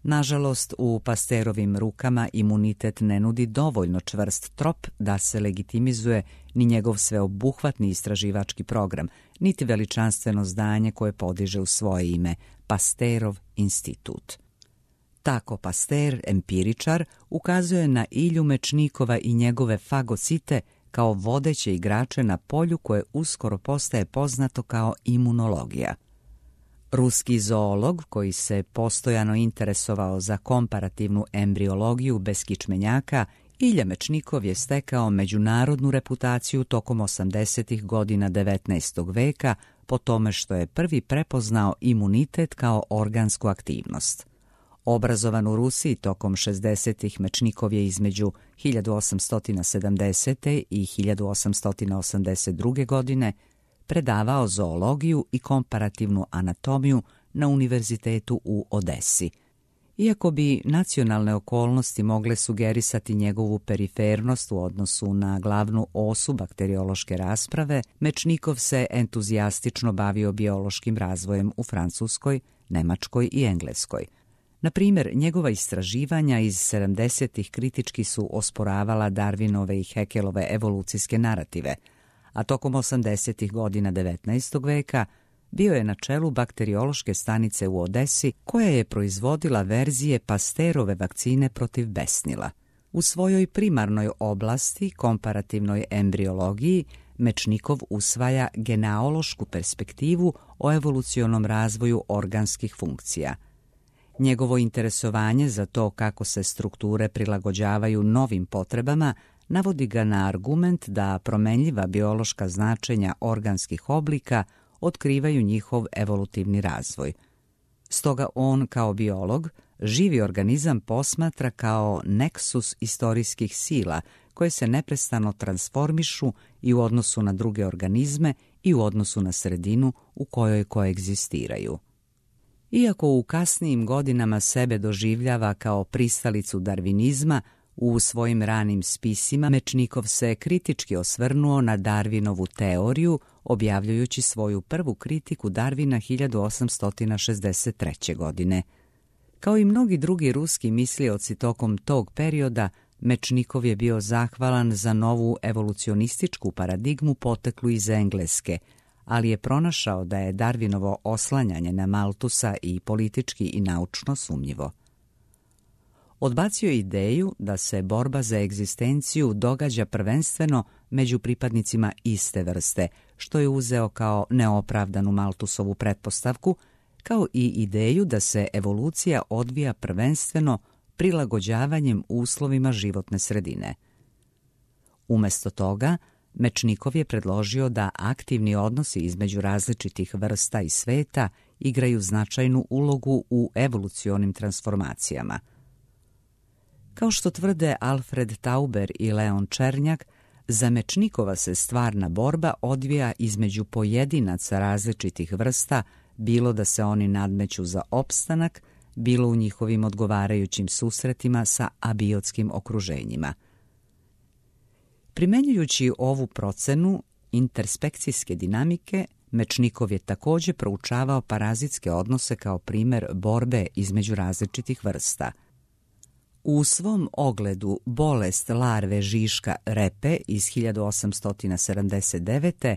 Nažalost, u Pasteurovim rukama imunitet ne nudi dovoljno čvrst trop da se legitimizuje ni njegov sveobuhvatni istraživački program, niti veličanstveno zdanje koje podiže u svoje ime, Pasteurov institut. Tako Pasteur, empiričar, ukazuje na Ilju Mečnikova i njegove fagocite kao vodeće igrače na polju koje uskoro postaje poznato kao imunologija. Ruski zoolog, koji se postojano interesovao za komparativnu embriologiju bez kičmenjaka, Ilja Mečnikov je stekao međunarodnu reputaciju tokom osamdesetih godina devetnaestog veka po tome što je prvi prepoznao imunitet kao organsku aktivnost. Obrazovan u Rusiji tokom šezdesetih, Mečnikov je između hiljadu osamsto sedamdesete i hiljadu osamsto osamdeset druge. godine predavao zoologiju i komparativnu anatomiju na univerzitetu u Odesi. Iako bi nacionalne okolnosti mogle sugerisati njegovu perifernost u odnosu na glavnu osu bakteriološke rasprave, Mečnikov se entuzijastično bavio biološkim razvojem u Francuskoj, Nemačkoj i Engleskoj. Na primjer, njegova istraživanja iz sedamdesetih kritički su osporavala Darwinove i Haeckelove evolucijske narative, a tokom osamdesetih godina devetnaestog veka bio je na čelu bakteriološke stanice u Odesi koja je proizvodila verzije Pasteurove vakcine protiv besnila. U svojoj primarnoj oblasti, komparativnoj embriologiji, Mečnikov usvaja genealošku perspektivu o evolucionom razvoju organskih funkcija. Njegovo interesovanje za to kako se strukture prilagođavaju novim potrebama navodi ga na argument da promenljiva biološka značenja organskih oblika otkrivaju njihov evolutivni razvoj. Stoga on, kao biolog, živi organizam posmatra kao neksus istorijskih sila koje se neprestano transformišu i u odnosu na druge organizme i u odnosu na sredinu u kojoj koegzistiraju. Iako u kasnijim godinama sebe doživljava kao pristalicu darvinizma, u svojim ranim spisima Mečnikov se kritički osvrnuo na Darwinovu teoriju, objavljujući svoju prvu kritiku Darwina hiljadu osamsto šezdeset treće. godine. Kao i mnogi drugi ruski mislioci tokom tog perioda, Mečnikov je bio zahvalan za novu evolucionističku paradigmu poteklu iz Engleske, ali je pronašao da je Darwinovo oslanjanje na Malthusa i politički i naučno sumnjivo. Odbacio je ideju da se borba za egzistenciju događa prvenstveno među pripadnicima iste vrste, što je uzeo kao neopravdanu Malthusovu pretpostavku, kao i ideju da se evolucija odvija prvenstveno prilagođavanjem uslovima životne sredine. Umesto toga, Mečnikov je predložio da aktivni odnosi između različitih vrsta i sveta igraju značajnu ulogu u evolucionim transformacijama. Kao što tvrde Alfred Tauber i Leon Černjak, za Mečnikova se stvarna borba odvija između pojedinaca različitih vrsta, bilo da se oni nadmeću za opstanak, bilo u njihovim odgovarajućim susretima sa abiotskim okruženjima. Primenjujući ovu procenu interspekcijske dinamike, Mečnikov je također proučavao parazitske odnose kao primjer borbe između različitih vrsta. U svom ogledu Bolest larve žiška repe iz hiljadu osamsto sedamdeset devete.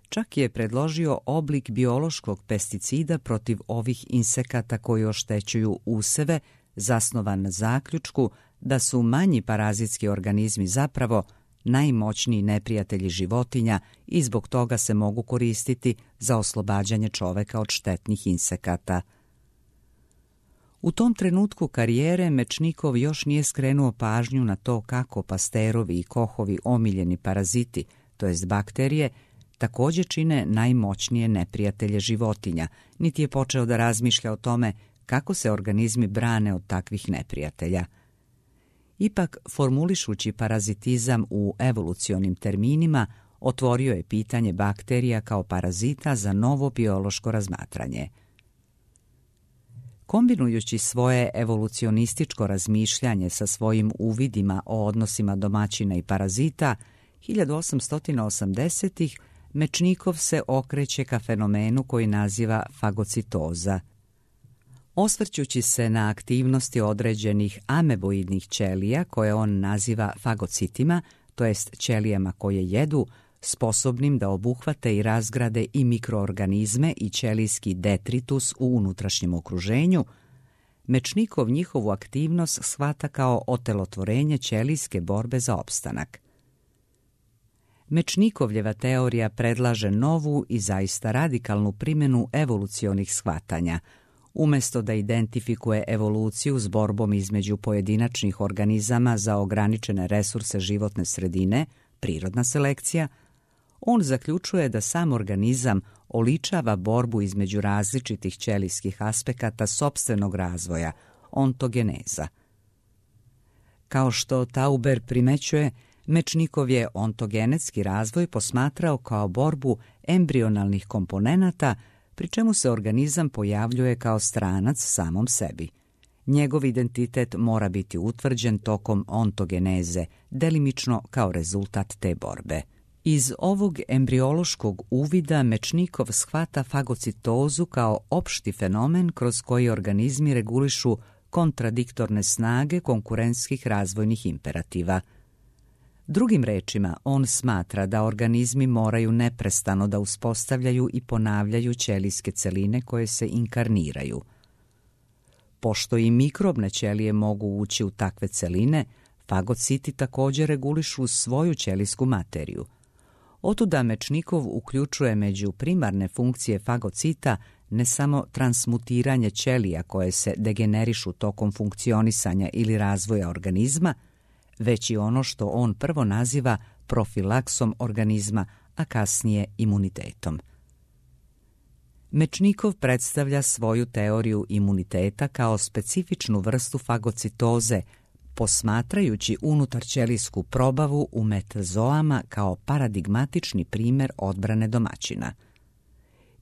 čak je predložio oblik biološkog pesticida protiv ovih insekata koji oštećuju useve, zasnovan na zaključku da su manji parazitski organizmi zapravo najmoćniji neprijatelji životinja i zbog toga se mogu koristiti za oslobađanje čoveka od štetnih insekata. U tom trenutku karijere Mečnikov još nije skrenuo pažnju na to kako Pasteurovi i Kochovi omiljeni paraziti, to jest bakterije, također čine najmoćnije neprijatelje životinja, niti je počeo da razmišlja o tome kako se organizmi brane od takvih neprijatelja. Ipak, formulišući parazitizam u evolucionim terminima, otvorio je pitanje bakterija kao parazita za novo biološko razmatranje. Kombinujući svoje evolucionističko razmišljanje sa svojim uvidima o odnosima domaćina i parazita, hiljadu osamsto osamdesetih. Mečnikov se okreće ka fenomenu koji naziva fagocitoza. Osvrćući se na aktivnosti određenih ameboidnih ćelija koje on naziva fagocitima, to jest ćelijama koje jedu, sposobnim da obuhvate i razgrade i mikroorganizme i ćelijski detritus u unutrašnjem okruženju, Mečnikov njihovu aktivnost shvata kao otelotvorenje ćelijske borbe za opstanak. Mečnikovljeva teorija predlaže novu i zaista radikalnu primjenu evolucionih shvatanja. Umjesto da identifikuje evoluciju s borbom između pojedinačnih organizama za ograničene resurse životne sredine, prirodna selekcija, on zaključuje da sam organizam oličava borbu između različitih ćelijskih aspekata sopstvenog razvoja, ontogeneza. Kao što Tauber primećuje, Mečnikov je ontogenetski razvoj posmatrao kao borbu embrionalnih komponenata, pri čemu se organizam pojavljuje kao stranac samom sebi. Njegov identitet mora biti utvrđen tokom ontogeneze, delimično kao rezultat te borbe. Iz ovog embriološkog uvida Mečnikov shvata fagocitozu kao opšti fenomen kroz koji organizmi regulišu kontradiktorne snage konkurentskih razvojnih imperativa. Drugim rečima, on smatra da organizmi moraju neprestano da uspostavljaju i ponavljaju ćelijske celine koje se inkarniraju. Pošto i mikrobne ćelije mogu ući u takve celine, fagociti također regulišu svoju ćelijsku materiju. Otuda Mečnikov uključuje među primarne funkcije fagocita ne samo transmutiranje ćelija koje se degenerišu tokom funkcionisanja ili razvoja organizma, već i ono što on prvo naziva profilaksom organizma, a kasnije imunitetom. Mečnikov predstavlja svoju teoriju imuniteta kao specifičnu vrstu fagocitoze, posmatrajući unutarćelijsku probavu u metazoama kao paradigmatični primjer odbrane domaćina.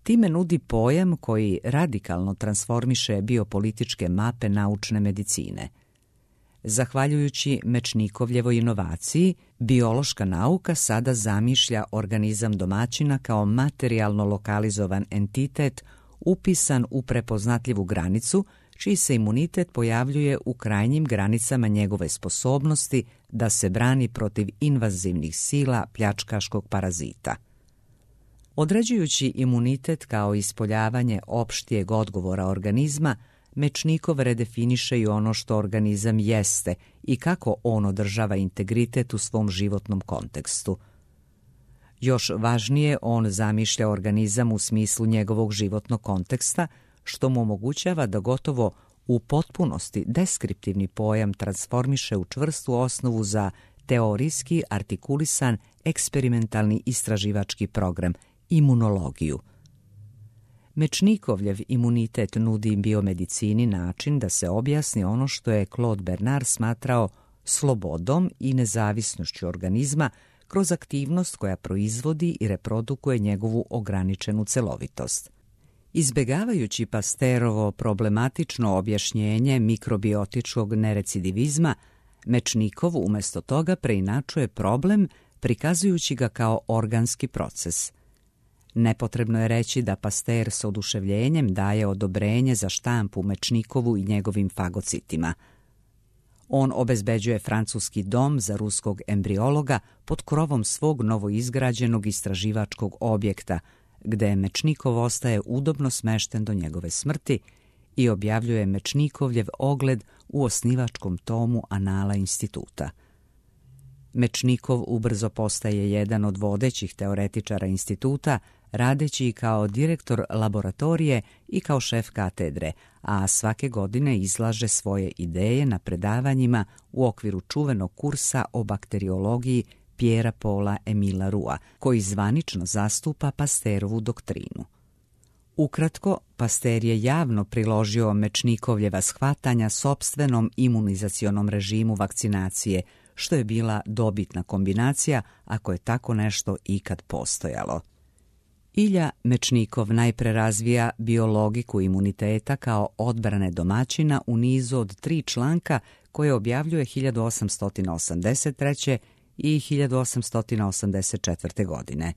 Time nudi pojam koji radikalno transformiše biopolitičke mape naučne medicine. Zahvaljujući Mečnikovljevoj inovaciji, biološka nauka sada zamišlja organizam domaćina kao materijalno lokalizovan entitet upisan u prepoznatljivu granicu, čiji se imunitet pojavljuje u krajnjim granicama njegove sposobnosti da se brani protiv invazivnih sila pljačkaškog parazita. Određujući imunitet kao ispoljavanje opštijeg odgovora organizma, Mečnikov redefiniše i ono što organizam jeste i kako on održava integritet u svom životnom kontekstu. Još važnije, on zamišlja organizam u smislu njegovog životnog konteksta, što mu omogućava da gotovo u potpunosti deskriptivni pojam transformiše u čvrstu osnovu za teorijski artikulisan eksperimentalni istraživački program, imunologiju. Mečnikovljev imunitet nudi biomedicini način da se objasni ono što je Claude Bernard smatrao slobodom i nezavisnošću organizma kroz aktivnost koja proizvodi i reprodukuje njegovu ograničenu celovitost. Izbegavajući Pasterovo problematično objašnjenje mikrobiotičkog nerecidivizma, Mečnikov umjesto toga preinačuje problem prikazujući ga kao organski proces. Nepotrebno je reći da Pasteur s oduševljenjem daje odobrenje za štampu Mečnikovu i njegovim fagocitima. On obezbeđuje francuski dom za ruskog embriologa pod krovom svog novoizgrađenog istraživačkog objekta, gde Mečnikov ostaje udobno smešten do njegove smrti i objavljuje Mečnikovljev ogled u osnivačkom tomu Anala instituta. Mečnikov ubrzo postaje jedan od vodećih teoretičara instituta, radeći i kao direktor laboratorije i kao šef katedre, a svake godine izlaže svoje ideje na predavanjima u okviru čuvenog kursa o bakteriologiji Pierre Paula Emila Roua, koji zvanično zastupa Pasterovu doktrinu. Ukratko, Pasteur je javno priložio Mečnikovljeva shvatanja sopstvenom imunizacionom režimu vakcinacije, što je bila dobitna kombinacija ako je tako nešto ikad postojalo. Ilja Mečnikov najpre razvija biologiku imuniteta kao odbrane domaćina u nizu od tri članka koje objavljuje hiljadu osamsto osamdeset treće i hiljadu osamsto osamdeset četvrte. godine.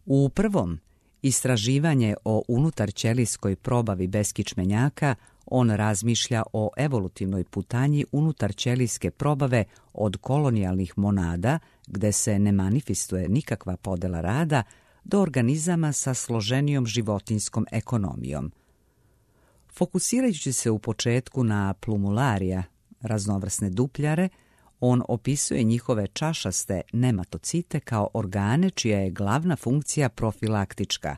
U prvom, istraživanje o unutarćelijskoj probavi beskičmenjaka, on razmišlja o evolutivnoj putanji unutarćelijske probave od kolonijalnih monada, gde se ne manifestuje nikakva podela rada, do organizama sa složenijom životinskom ekonomijom. Fokusirajući se u početku na plumularija, raznovrsne dupljare, on opisuje njihove čašaste nematocite kao organe čija je glavna funkcija profilaktička.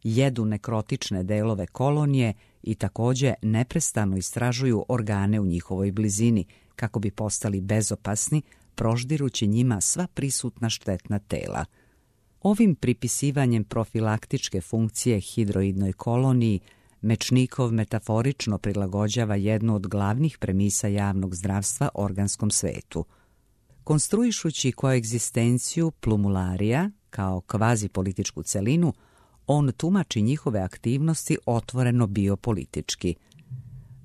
Jedu nekrotične delove kolonije i također neprestano istražuju organe u njihovoj blizini kako bi postali bezopasni, proždirući njima sva prisutna štetna tela. Ovim pripisivanjem profilaktičke funkcije hidroidnoj koloniji Mečnikov metaforično prilagođava jednu od glavnih premisa javnog zdravstva organskom svetu. Konstruišući koegzistenciju plumularija kao kvazi političku celinu, on tumači njihove aktivnosti otvoreno biopolitički.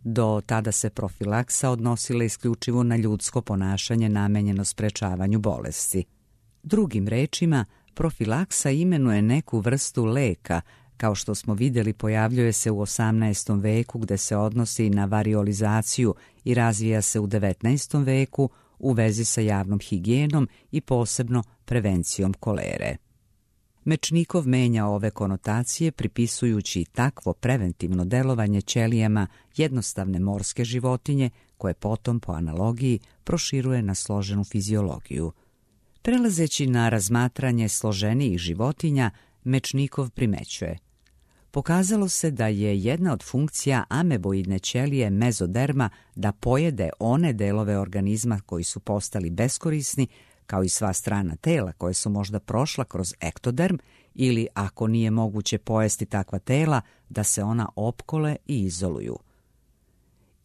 Do tada se profilaksa odnosila isključivo na ljudsko ponašanje namenjeno sprečavanju bolesti. Drugim rečima, profilaksa imenuje neku vrstu leka, kao što smo vidjeli pojavljuje se u osamnaestom veku gde se odnosi na variolizaciju i razvija se u devetnaestom veku u vezi sa javnom higijenom i posebno prevencijom kolere. Mečnikov menja ove konotacije pripisujući takvo preventivno delovanje ćelijama jednostavne morske životinje koje potom po analogiji proširuje na složenu fiziologiju. Prelazeći na razmatranje složenijih životinja, Mečnikov primećuje: pokazalo se da je jedna od funkcija ameboidne ćelije mezoderma da pojede one delove organizma koji su postali beskorisni, kao i sva strana tela koje su možda prošla kroz ektoderm, ili ako nije moguće pojesti takva tela, da se ona opkole i izoluju.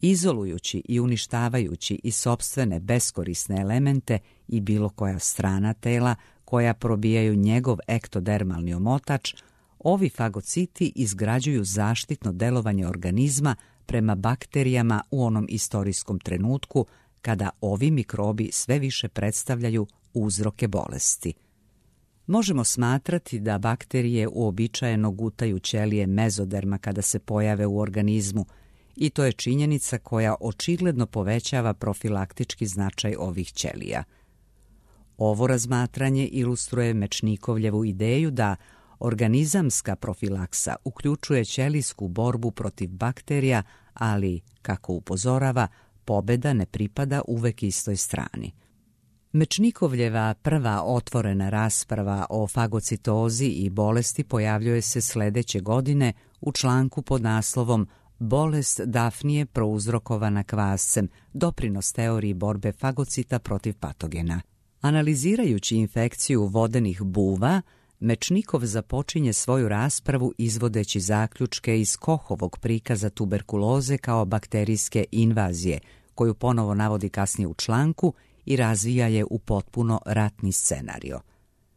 Izolujući i uništavajući i sopstvene beskorisne elemente i bilo koja strana tela koja probijaju njegov ektodermalni omotač, ovi fagociti izgrađuju zaštitno delovanje organizma prema bakterijama u onom istorijskom trenutku kada ovi mikrobi sve više predstavljaju uzroke bolesti. Možemo smatrati da bakterije uobičajeno gutaju ćelije mezoderma kada se pojave u organizmu, i to je činjenica koja očigledno povećava profilaktički značaj ovih ćelija. Ovo razmatranje ilustruje Mečnikovljevu ideju da organizamska profilaksa uključuje ćelijsku borbu protiv bakterija, ali, kako upozorava, pobeda ne pripada uvek istoj strani. Mečnikovljeva prva otvorena rasprava o fagocitozi i bolesti pojavljuje se sledeće godine u članku pod naslovom Bolest Dafnije prouzrokovana kvascem, doprinos teoriji borbe fagocita protiv patogena. Analizirajući infekciju vodenih buva, Mečnikov započinje svoju raspravu izvodeći zaključke iz Kohovog prikaza tuberkuloze kao bakterijske invazije, koju ponovo navodi kasnije u članku i razvija je u potpuno ratni scenario.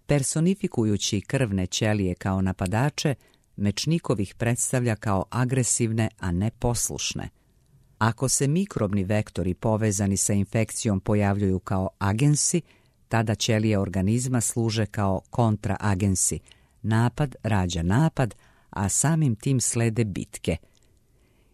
Personifikujući krvne ćelije kao napadače, Mečnikov ih predstavlja kao agresivne, a ne poslušne. Ako se mikrobni vektori povezani sa infekcijom pojavljuju kao agensi, tada ćelije organizma služe kao kontraagensi. Napad rađa napad, a samim tim slede bitke.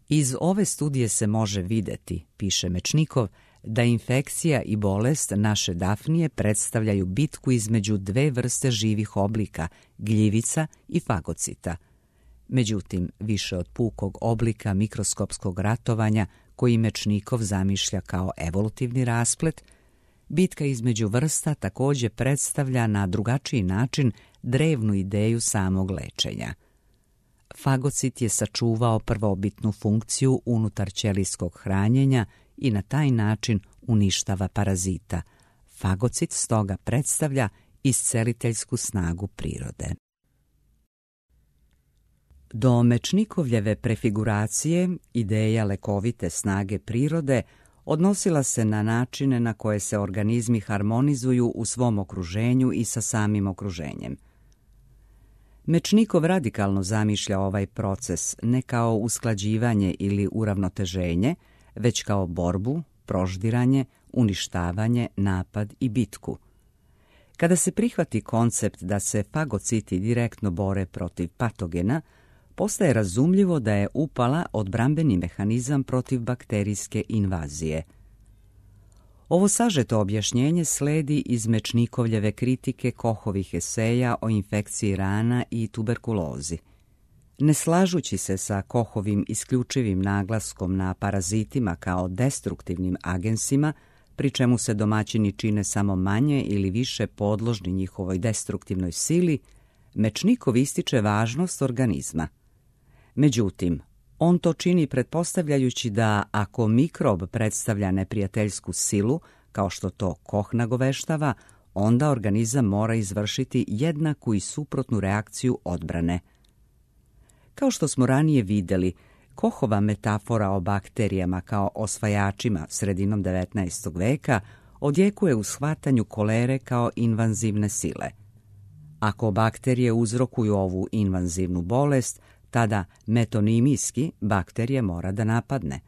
Iz ove studije se može videti, piše Mečnikov, da infekcija i bolest naše Dafnije predstavljaju bitku između dve vrste živih oblika, gljivica i fagocita. Međutim, više od pukog oblika mikroskopskog ratovanja koji Mečnikov zamišlja kao evolutivni rasplet, bitka između vrsta također predstavlja na drugačiji način drevnu ideju samog lečenja. Fagocit je sačuvao prvobitnu funkciju unutar ćelijskog hranjenja i na taj način uništava parazita. Fagocit stoga predstavlja isceliteljsku snagu prirode. Do Mečnikovljeve prefiguracije ideja lekovite snage prirode odnosila se na načine na koje se organizmi harmonizuju u svom okruženju i sa samim okruženjem. Mečnikov radikalno zamišlja ovaj proces ne kao usklađivanje ili uravnoteženje, već kao borbu, proždiranje, uništavanje, napad i bitku. Kada se prihvati koncept da se fagociti direktno bore protiv patogena, postaje razumljivo da je upala odbrambeni mehanizam protiv bakterijske invazije. Ovo sažeto objašnjenje sledi iz Mečnikovljeve kritike Kohovih eseja o infekciji rana i tuberkulozi. Ne slažući se sa Kohovim isključivim naglaskom na parazitima kao destruktivnim agensima, pri čemu se domaćini čine samo manje ili više podložni njihovoj destruktivnoj sili, Mečnikov ističe važnost organizma. Međutim, on to čini pretpostavljajući da ako mikrob predstavlja neprijateljsku silu, kao što to Koh nagoveštava, onda organizam mora izvršiti jednaku i suprotnu reakciju odbrane. Kao što smo ranije vidjeli, Kohova metafora o bakterijama kao osvajačima sredinom devetnaestog veka odjekuje u shvatanju kolere kao invanzivne sile. Ako bakterije uzrokuju ovu invanzivnu bolest, tada metonimijski bakterije mora da napadne.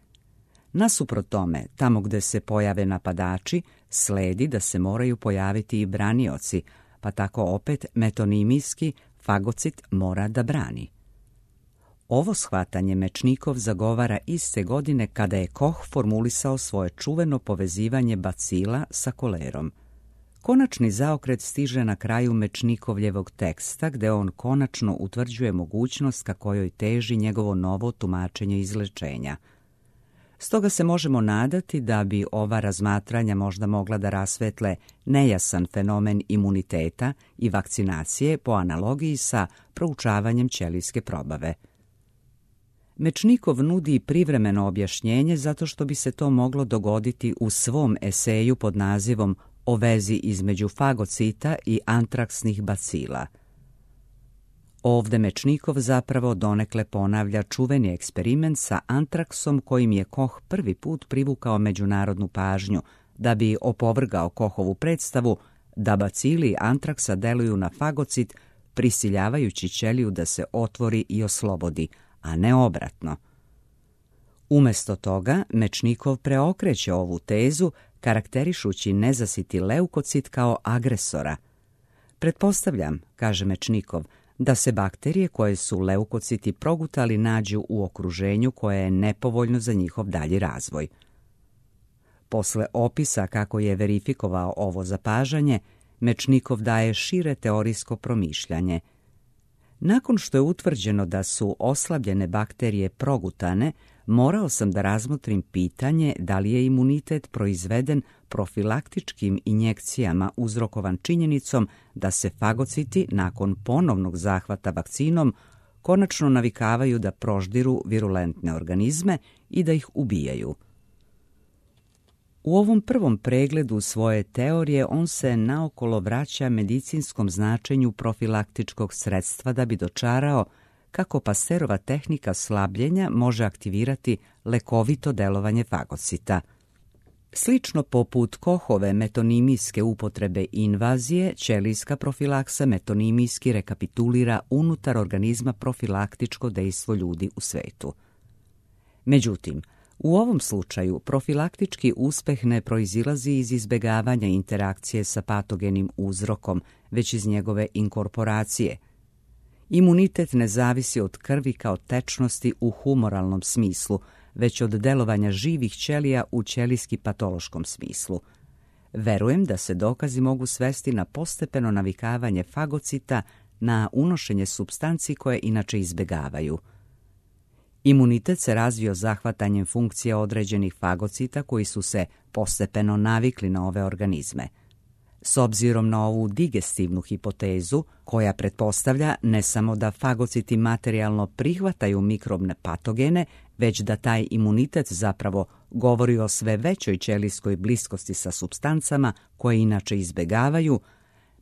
Nasuprot tome, tamo gde se pojave napadači, sledi da se moraju pojaviti i branioci, pa tako opet metonimijski fagocit mora da brani. Ovo shvatanje Mečnikov zagovara iste godine kada je Koch formulisao svoje čuveno povezivanje bacila sa kolerom. Konačni zaokret stiže na kraju Mečnikovljevog teksta, gde on konačno utvrđuje mogućnost ka kojoj teži njegovo novo tumačenje izlečenja. Stoga se možemo nadati da bi ova razmatranja možda mogla da rasvetle nejasan fenomen imuniteta i vakcinacije po analogiji sa proučavanjem ćelijske probave. Mečnikov nudi privremeno objašnjenje zato što bi se to moglo dogoditi u svom eseju pod nazivom O vezi između fagocita i antraksnih bacila. Ovde Mečnikov zapravo donekle ponavlja čuveni eksperiment sa antraksom kojim je Koch prvi put privukao međunarodnu pažnju, da bi opovrgao Kochovu predstavu da bacili antraksa deluju na fagocit prisiljavajući ćeliju da se otvori i oslobodi, a ne obratno. Umesto toga, Mečnikov preokreće ovu tezu, karakterišući nezasiti leukocit kao agresora. Pretpostavljam, kaže Mečnikov, da se bakterije koje su leukociti progutali nađu u okruženju koje je nepovoljno za njihov dalji razvoj. Posle opisa kako je verifikovao ovo zapažanje, Mečnikov daje šire teorijsko promišljanje. Nakon što je utvrđeno da su oslabljene bakterije progutane, morao sam da razmotrim pitanje da li je imunitet proizveden profilaktičkim injekcijama uzrokovan činjenicom da se fagociti nakon ponovnog zahvata vakcinom konačno navikavaju da proždiru virulentne organizme i da ih ubijaju. U ovom prvom pregledu svoje teorije on se naokolo vraća medicinskom značenju profilaktičkog sredstva da bi dočarao kako Pasteurova tehnika slabljenja može aktivirati lekovito delovanje fagocita. Slično poput Kochove metonimijske upotrebe invazije, ćelijska profilaksa metonimijski rekapitulira unutar organizma profilaktičko dejstvo ljudi u svetu. Međutim, u ovom slučaju profilaktički uspeh ne proizilazi iz izbegavanja interakcije sa patogenim uzrokom, već iz njegove inkorporacije. Imunitet ne zavisi od krvi kao tečnosti u humoralnom smislu, već od delovanja živih ćelija u ćelijski patološkom smislu. Verujem da se dokazi mogu svesti na postepeno navikavanje fagocita na unošenje supstanci koje inače izbegavaju. Imunitet se razvio zahvatanjem funkcije određenih fagocita koji su se postepeno navikli na ove organizme. S obzirom na ovu digestivnu hipotezu, koja pretpostavlja ne samo da fagociti materijalno prihvataju mikrobne patogene, već da taj imunitet zapravo govori o sve većoj ćelijskoj bliskosti sa supstancama koje inače izbegavaju,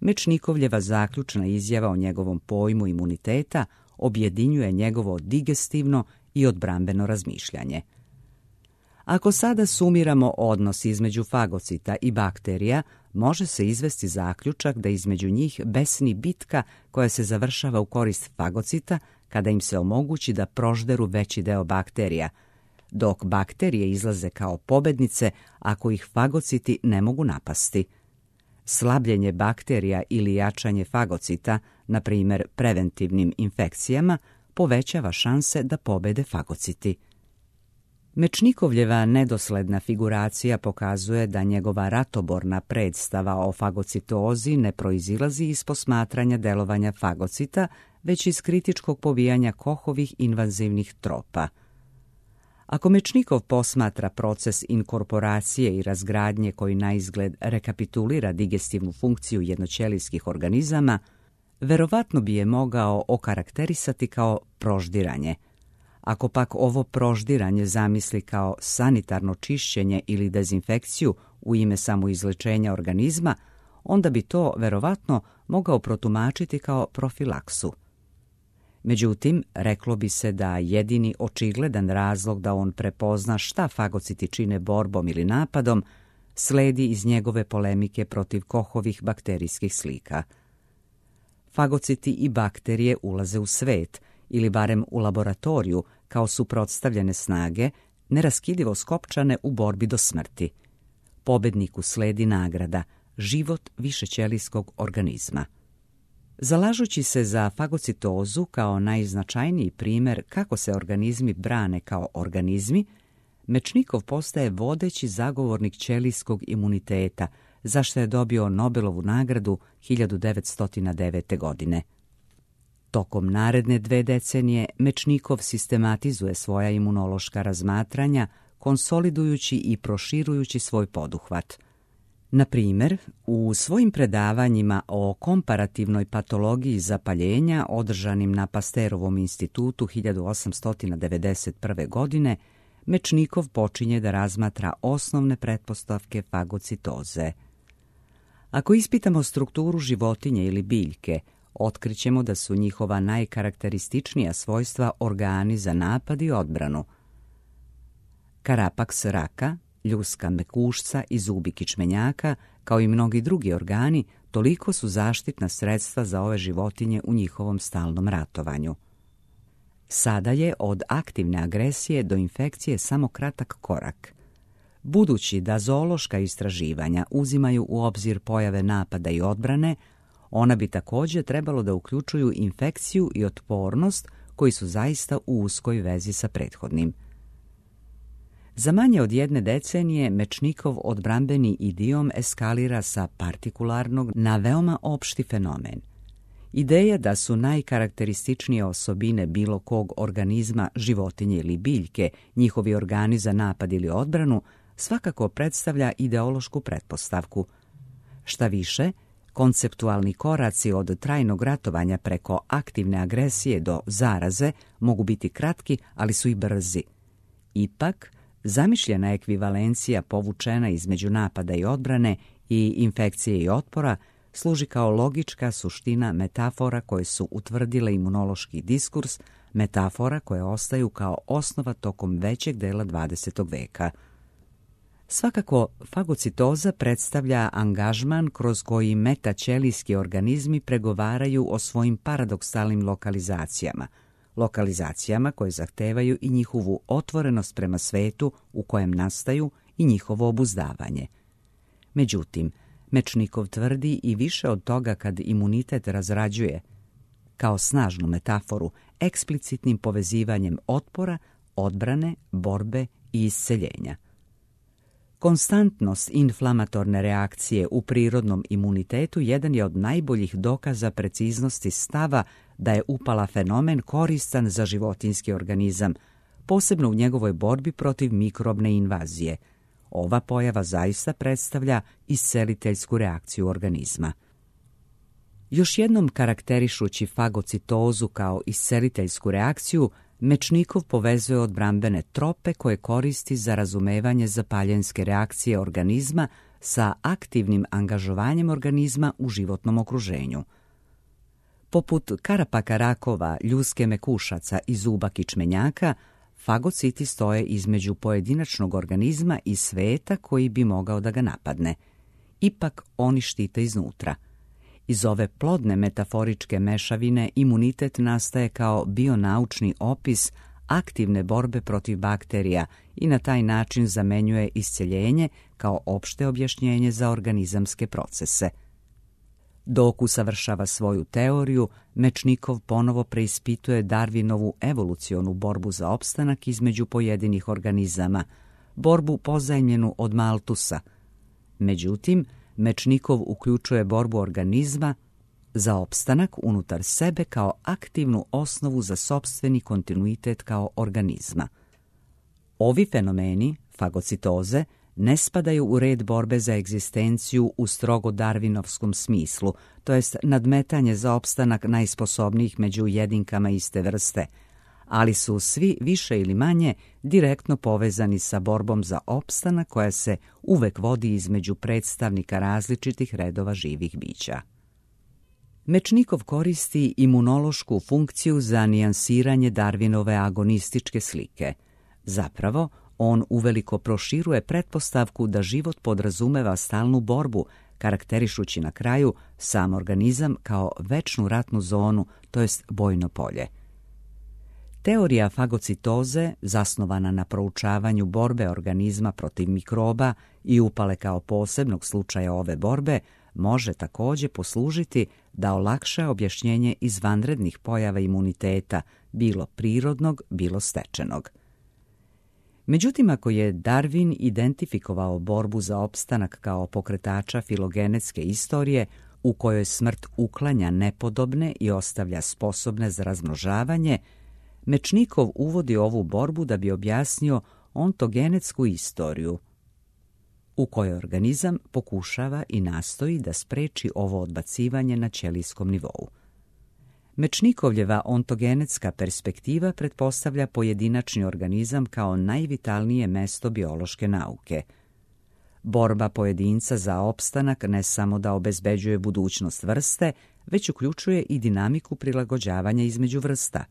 Mečnikovljeva zaključna izjava o njegovom pojmu imuniteta objedinjuje njegovo digestivno i odbrambeno razmišljanje. Ako sada sumiramo odnos između fagocita i bakterija, može se izvesti zaključak da između njih besni bitka koja se završava u korist fagocita kada im se omogući da prožderu veći deo bakterija, dok bakterije izlaze kao pobednice ako ih fagociti ne mogu napasti. Slabljenje bakterija ili jačanje fagocita, na primjer preventivnim infekcijama, povećava šanse da pobede fagociti. Mečnikovljeva nedosledna figuracija pokazuje da njegova ratoborna predstava o fagocitozi ne proizilazi iz posmatranja delovanja fagocita, već iz kritičkog pobijanja Kochovih invazivnih tropa. Ako Mečnikov posmatra proces inkorporacije i razgradnje koji naizgled rekapitulira digestivnu funkciju jednoćelijskih organizama, verovatno bi je mogao okarakterisati kao proždiranje. Ako pak ovo proždiranje zamisli kao sanitarno čišćenje ili dezinfekciju u ime samoizlečenja organizma, onda bi to verovatno mogao protumačiti kao profilaksu. Međutim, reklo bi se da jedini očigledan razlog da on prepozna šta fagociti čine borbom ili napadom sledi iz njegove polemike protiv Kochovih bakterijskih slika. Fagociti i bakterije ulaze u svet, ili barem u laboratoriju, kao suprotstavljene snage, neraskidivo skopčane u borbi do smrti. Pobedniku sledi nagrada, život višećelijskog organizma. Zalažući se za fagocitozu kao najznačajniji primjer kako se organizmi brane kao organizmi, Mečnikov postaje vodeći zagovornik ćelijskog imuniteta, za što je dobio Nobelovu nagradu hiljadu devetsto devete. godine. Tokom naredne dve decenije Mečnikov sistematizuje svoja imunološka razmatranja, konsolidujući i proširujući svoj poduhvat. Na primjer, u svojim predavanjima o komparativnoj patologiji zapaljenja održanim na Pasterovom institutu hiljadu osamsto devedeset prve. godine, Mečnikov počinje da razmatra osnovne pretpostavke fagocitoze. Ako ispitamo strukturu životinje ili biljke, otkrićemo da su njihova najkarakterističnija svojstva organi za napad i odbranu. Karapaks raka, ljuska mekušca i zubi kičmenjaka, kao i mnogi drugi organi, toliko su zaštitna sredstva za ove životinje u njihovom stalnom ratovanju. Sada je od aktivne agresije do infekcije samo kratak korak. Budući da zoološka istraživanja uzimaju u obzir pojave napada i odbrane, ona bi također trebalo da uključuju infekciju i otpornost koji su zaista u uskoj vezi sa prethodnim. Za manje od jedne decenije Mečnikov odbrambeni idiom eskalira sa partikularnog na veoma opšti fenomen. Ideja da su najkarakterističnije osobine bilo kog organizma, životinje ili biljke, njihovi organi za napad ili odbranu, svakako predstavlja ideološku pretpostavku. Šta više, konceptualni koraci od trajnog ratovanja preko aktivne agresije do zaraze mogu biti kratki, ali su i brzi. Ipak, zamišljena ekvivalencija povučena između napada i odbrane i infekcije i otpora služi kao logička suština metafora koje su utvrdile imunološki diskurs, metafora koje ostaju kao osnova tokom većeg dela dvadesetog veka. Svakako, fagocitoza predstavlja angažman kroz koji metaćelijski organizmi pregovaraju o svojim paradoksalnim lokalizacijama, lokalizacijama koje zahtevaju i njihovu otvorenost prema svetu u kojem nastaju i njihovo obuzdavanje. Međutim, Mečnikov tvrdi i više od toga kad imunitet razrađuje, kao snažnu metaforu, eksplicitnim povezivanjem otpora, odbrane, borbe i isceljenja. Konstantnost inflamatorne reakcije u prirodnom imunitetu jedan je od najboljih dokaza preciznosti stava da je upala fenomen koristan za životinjski organizam, posebno u njegovoj borbi protiv mikrobne invazije. Ova pojava zaista predstavlja isceliteljsku reakciju organizma. Još jednom karakterišući fagocitozu kao isceliteljsku reakciju, Mečnikov povezuje odbrambene trope koje koristi za razumevanje zapaljenske reakcije organizma sa aktivnim angažovanjem organizma u životnom okruženju. Poput karapaka rakova, ljuske mekušaca i zuba kičmenjaka, fagociti stoje između pojedinačnog organizma i sveta koji bi mogao da ga napadne. Ipak oni štite iznutra. Iz ove plodne metaforičke mešavine imunitet nastaje kao bionaučni opis aktivne borbe protiv bakterija i na taj način zamenjuje isceljenje kao opšte objašnjenje za organizamske procese. Dok usavršava svoju teoriju, Mečnikov ponovo preispituje Darwinovu evolucionu borbu za opstanak između pojedinih organizama, borbu pozajmljenu od Maltusa. Međutim, Mečnikov uključuje borbu organizma za opstanak unutar sebe kao aktivnu osnovu za sopstveni kontinuitet kao organizma. Ovi fenomeni, fagocitoze, ne spadaju u red borbe za egzistenciju u strogo darvinovskom smislu, to jest nadmetanje za opstanak najsposobnijih među jedinkama iste vrste, ali su svi više ili manje direktno povezani sa borbom za opstanak koja se uvek vodi između predstavnika različitih redova živih bića. Mečnikov koristi imunološku funkciju za nijansiranje Darwinove agonističke slike. Zapravo, on uveliko proširuje pretpostavku da život podrazumeva stalnu borbu, karakterišući na kraju sam organizam kao večnu ratnu zonu, to jest bojno polje. Teorija fagocitoze, zasnovana na proučavanju borbe organizma protiv mikroba i upale kao posebnog slučaja ove borbe, može također poslužiti da olakša objašnjenje izvanrednih pojava imuniteta, bilo prirodnog, bilo stečenog. Međutim, ako je Darwin identifikovao borbu za opstanak kao pokretača filogenetske istorije, u kojoj smrt uklanja nepodobne i ostavlja sposobne za razmnožavanje, Mečnikov uvodi ovu borbu da bi objasnio ontogenetsku istoriju, u kojoj organizam pokušava i nastoji da spreči ovo odbacivanje na ćelijskom nivou. Mečnikovljeva ontogenetska perspektiva pretpostavlja pojedinačni organizam kao najvitalnije mesto biološke nauke. Borba pojedinca za opstanak ne samo da obezbeđuje budućnost vrste, već uključuje i dinamiku prilagođavanja između vrsta.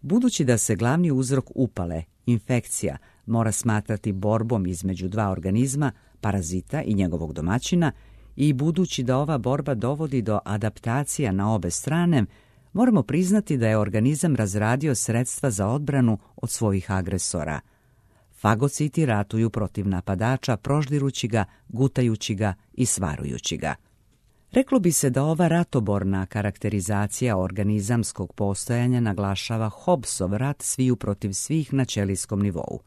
Budući da se glavni uzrok upale, infekcija, mora smatrati borbom između dva organizma, parazita i njegovog domaćina, i budući da ova borba dovodi do adaptacija na obe strane, moramo priznati da je organizam razradio sredstva za odbranu od svojih agresora. Fagociti ratuju protiv napadača, proždirući ga, gutajući ga i svarujući ga. Reklo bi se da ova ratoborna karakterizacija organizamskog postojanja naglašava Hobbesov rat sviju protiv svih na ćelijskom nivou.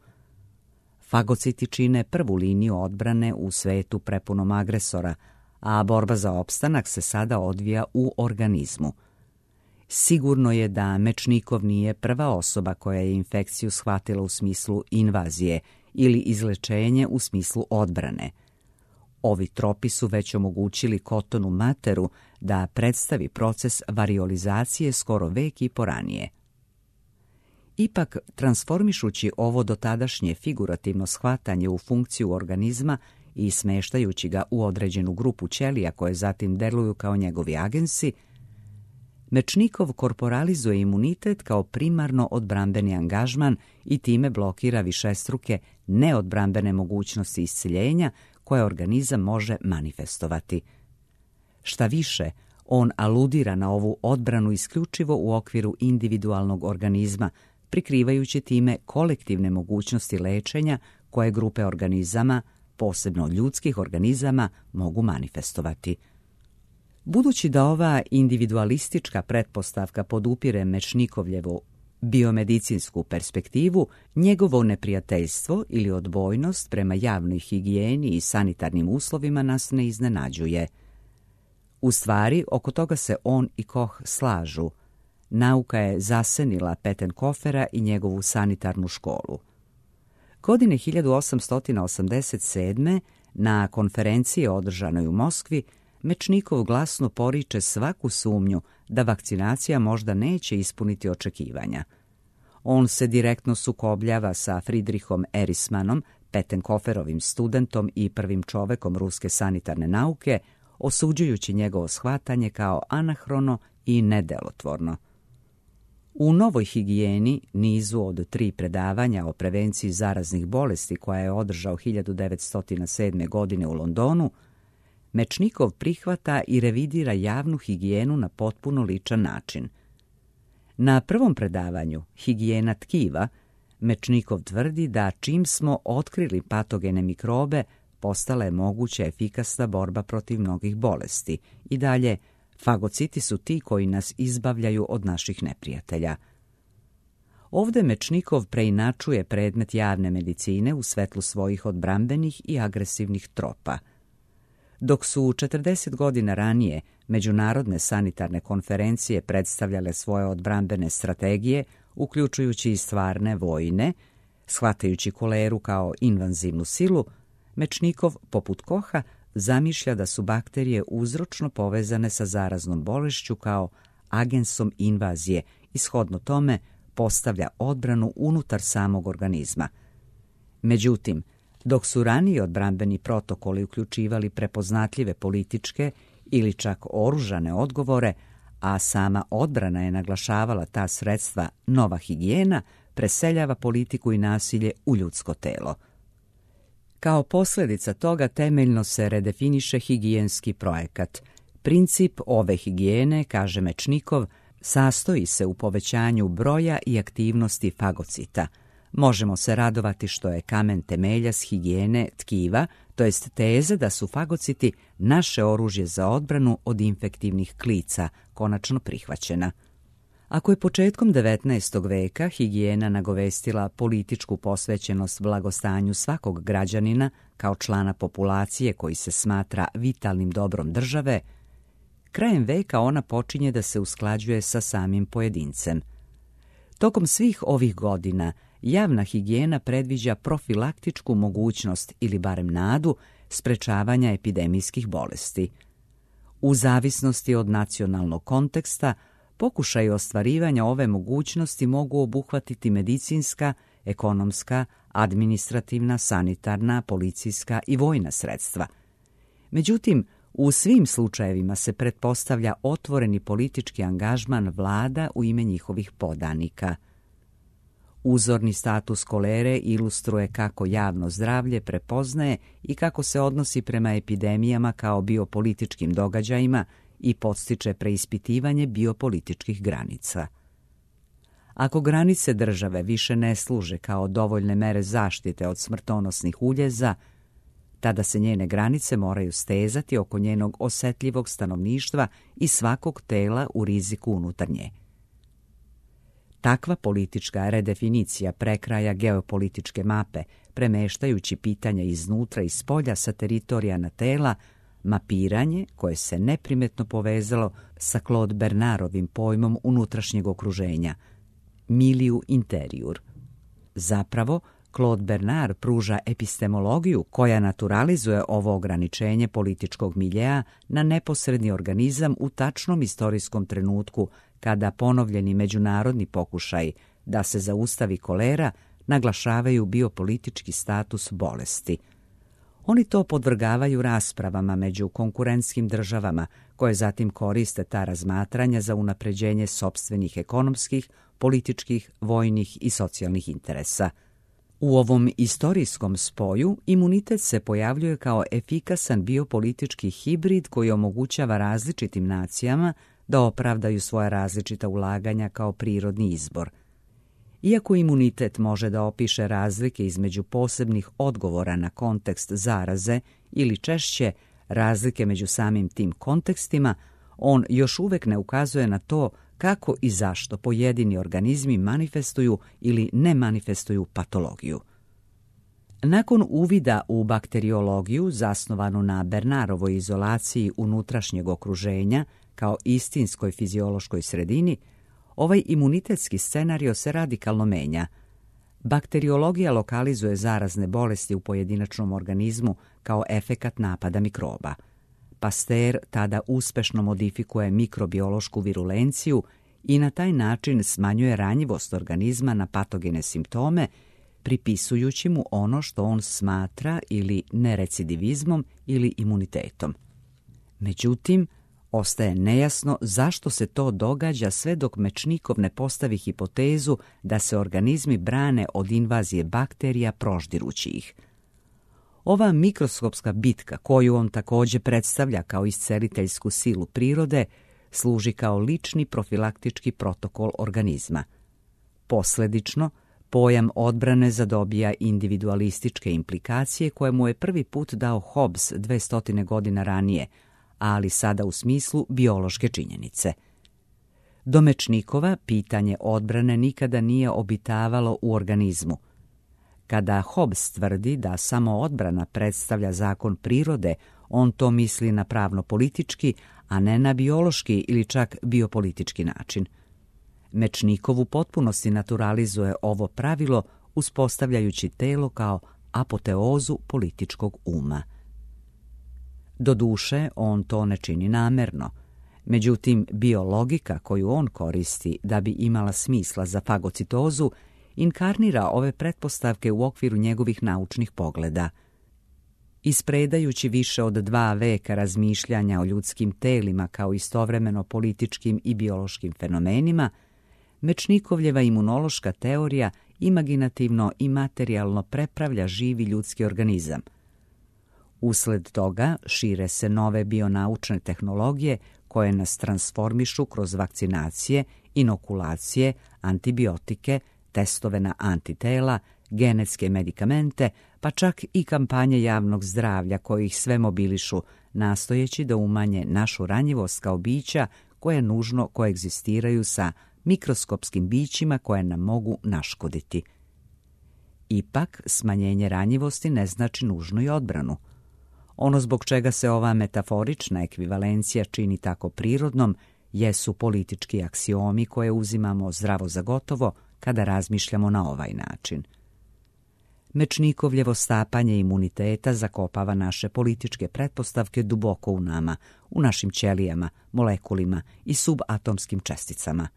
Fagociti čine prvu liniju odbrane u svetu prepunom agresora, a borba za opstanak se sada odvija u organizmu. Sigurno je da Mečnikov nije prva osoba koja je infekciju shvatila u smislu invazije ili izlečenje u smislu odbrane. Ovi tropi su već omogućili Cottonu Matteru da predstavi proces variolizacije skoro vek i po ranije. Ipak, transformišući ovo dotadašnje figurativno shvatanje u funkciju organizma i smeštajući ga u određenu grupu ćelija koje zatim deluju kao njegovi agensi, Mečnikov korporalizuje imunitet kao primarno odbrambeni angažman i time blokira višestruke neodbrambene mogućnosti isceljenja koje organizam može manifestovati. Šta više, on aludira na ovu odbranu isključivo u okviru individualnog organizma, prikrivajući time kolektivne mogućnosti lečenja koje grupe organizama, posebno ljudskih organizama, mogu manifestovati. Budući da ova individualistička pretpostavka podupire Mečnikovljevu biomedicinsku perspektivu, njegovo neprijateljstvo ili odbojnost prema javnoj higijeni i sanitarnim uslovima nas ne iznenađuje. U stvari, oko toga se on i Koch slažu. Nauka je zasenila Pettenkofera i njegovu sanitarnu školu. Godine hiljadu osamsto osamdeset sedme na konferenciji održanoj u Moskvi, Mečnikov glasno poriče svaku sumnju da vakcinacija možda neće ispuniti očekivanja. On se direktno sukobljava sa Friedrichom Erismanom, Pettenkoferovim studentom i prvim čovekom ruske sanitarne nauke, osuđujući njegovo shvatanje kao anahrono i nedelotvorno. U Novoj higijeni, nizu od tri predavanja o prevenciji zaraznih bolesti koja je održao hiljadu devetsto sedme. godine u Londonu, Mečnikov prihvata i revidira javnu higijenu na potpuno ličan način. Na prvom predavanju, higijena tkiva, Mečnikov tvrdi da čim smo otkrili patogene mikrobe, postala je moguća efikasna borba protiv mnogih bolesti. I dalje, fagociti su ti koji nas izbavljaju od naših neprijatelja. Ovdje Mečnikov preinačuje predmet javne medicine u svetlu svojih odbrambenih i agresivnih tropa. Dok su četrdeset godina ranije međunarodne sanitarne konferencije predstavljale svoje odbrambene strategije, uključujući i stvarne vojne, shvatajući koleru kao invazivnu silu, Mečnikov, poput Koha, zamišlja da su bakterije uzročno povezane sa zaraznom bolešću kao agensom invazije i shodno tome postavlja odbranu unutar samog organizma. Međutim, dok su raniji odbrambeni protokoli uključivali prepoznatljive političke ili čak oružane odgovore, a sama odbrana je naglašavala ta sredstva, nova higijena preseljava politiku i nasilje u ljudsko telo. Kao posljedica toga temeljno se redefiniše higijenski projekat. Princip ove higijene, kaže Mečnikov, sastoji se u povećanju broja i aktivnosti fagocita. Možemo se radovati što je kamen temeljac higijene tkiva, to jest teze da su fagociti naše oružje za odbranu od infektivnih klica, konačno prihvaćena. Ako je početkom devetnaestog veka higijena nagovestila političku posvećenost blagostanju svakog građanina kao člana populacije koji se smatra vitalnim dobrom države, krajem veka ona počinje da se usklađuje sa samim pojedincem. Tokom svih ovih godina javna higijena predviđa profilaktičku mogućnost ili barem nadu sprečavanja epidemijskih bolesti. U zavisnosti od nacionalnog konteksta, pokušaj ostvarivanja ove mogućnosti mogu obuhvatiti medicinska, ekonomska, administrativna, sanitarna, policijska i vojna sredstva. Međutim, u svim slučajevima se pretpostavlja otvoreni politički angažman vlada u ime njihovih podanika. Uzorni status kolere ilustruje kako javno zdravlje prepoznaje i kako se odnosi prema epidemijama kao biopolitičkim događajima i podstiče preispitivanje biopolitičkih granica. Ako granice države više ne služe kao dovoljne mere zaštite od smrtonosnih uljeza, tada se njene granice moraju stezati oko njenog osetljivog stanovništva i svakog tela u riziku unutar nje. Takva politička redefinicija prekraja geopolitičke mape, premeštajući pitanja iznutra i spolja sa teritorija na tela, mapiranje koje se neprimetno povezalo sa Claude Bernardovim pojmom unutrašnjeg okruženja, milieu interior. Zapravo, Claude Bernard pruža epistemologiju koja naturalizuje ovo ograničenje političkog miljea na neposredni organizam u tačnom istorijskom trenutku kada ponovljeni međunarodni pokušaj da se zaustavi kolera naglašavaju biopolitički status bolesti. Oni to podvrgavaju raspravama među konkurentskim državama koje zatim koriste ta razmatranja za unapređenje sopstvenih ekonomskih, političkih, vojnih i socijalnih interesa. U ovom istorijskom spoju imunitet se pojavljuje kao efikasan biopolitički hibrid koji omogućava različitim nacijama da opravdaju svoja različita ulaganja kao prirodni izbor. Iako imunitet može da opiše razlike između posebnih odgovora na kontekst zaraze ili češće razlike među samim tim kontekstima, on još uvek ne ukazuje na to kako i zašto pojedini organizmi manifestuju ili ne manifestuju patologiju. Nakon uvida u bakteriologiju zasnovanu na Bernardovoj izolaciji unutrašnjeg okruženja kao istinskoj fiziološkoj sredini, ovaj imunitetski scenario se radikalno menja. Bakteriologija lokalizuje zarazne bolesti u pojedinačnom organizmu kao efekat napada mikroba. Pasteur tada uspešno modifikuje mikrobiološku virulenciju i na taj način smanjuje ranjivost organizma na patogene simptome, pripisujući mu ono što on smatra ili nerecidivizmom ili imunitetom. Međutim, ostaje nejasno zašto se to događa sve dok Mečnikov ne postavi hipotezu da se organizmi brane od invazije bakterija proždirući ih. Ova mikroskopska bitka, koju on također predstavlja kao isceliteljsku silu prirode, služi kao lični profilaktički protokol organizma. Posledično, pojam odbrane zadobija individualističke implikacije koje mu je prvi put dao Hobbes dvestotine godina ranije, ali sada u smislu biološke činjenice. Do Mečnikova pitanje odbrane nikada nije obitavalo u organizmu. Kada Hobbes tvrdi da samo odbrana predstavlja zakon prirode, on to misli na pravno-politički, a ne na biološki ili čak biopolitički način. Mečnikov u potpunosti naturalizuje ovo pravilo uspostavljajući telo kao apoteozu političkog uma. Doduše, on to ne čini namerno. Međutim, biologika koju on koristi da bi imala smisla za fagocitozu inkarnira ove pretpostavke u okviru njegovih naučnih pogleda. Ispredajući više od dva veka razmišljanja o ljudskim telima kao istovremeno političkim i biološkim fenomenima, Mečnikovljeva imunološka teorija imaginativno i materijalno prepravlja živi ljudski organizam. Usled toga šire se nove bionaučne tehnologije koje nas transformišu kroz vakcinacije, inokulacije, antibiotike, testove na antitela, genetske medikamente, pa čak i kampanje javnog zdravlja koji ih sve mobilišu, nastojeći da umanje našu ranjivost kao bića koje nužno koegzistiraju sa mikroskopskim bićima koje nam mogu naškoditi. Ipak, smanjenje ranjivosti ne znači nužno i odbranu. Ono zbog čega se ova metaforična ekvivalencija čini tako prirodnom jesu politički aksiomi koje uzimamo zdravo za gotovo kada razmišljamo na ovaj način. Mečnikovljevo stapanje imuniteta zakopava naše političke pretpostavke duboko u nama, u našim ćelijama, molekulima i subatomskim česticama.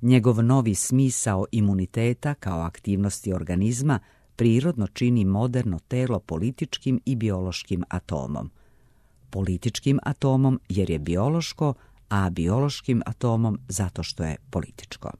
Njegov novi smisao imuniteta kao aktivnosti organizma prirodno čini moderno telo političkim i biološkim atomom. Političkim atomom jer je biološko, a biološkim atomom zato što je političko.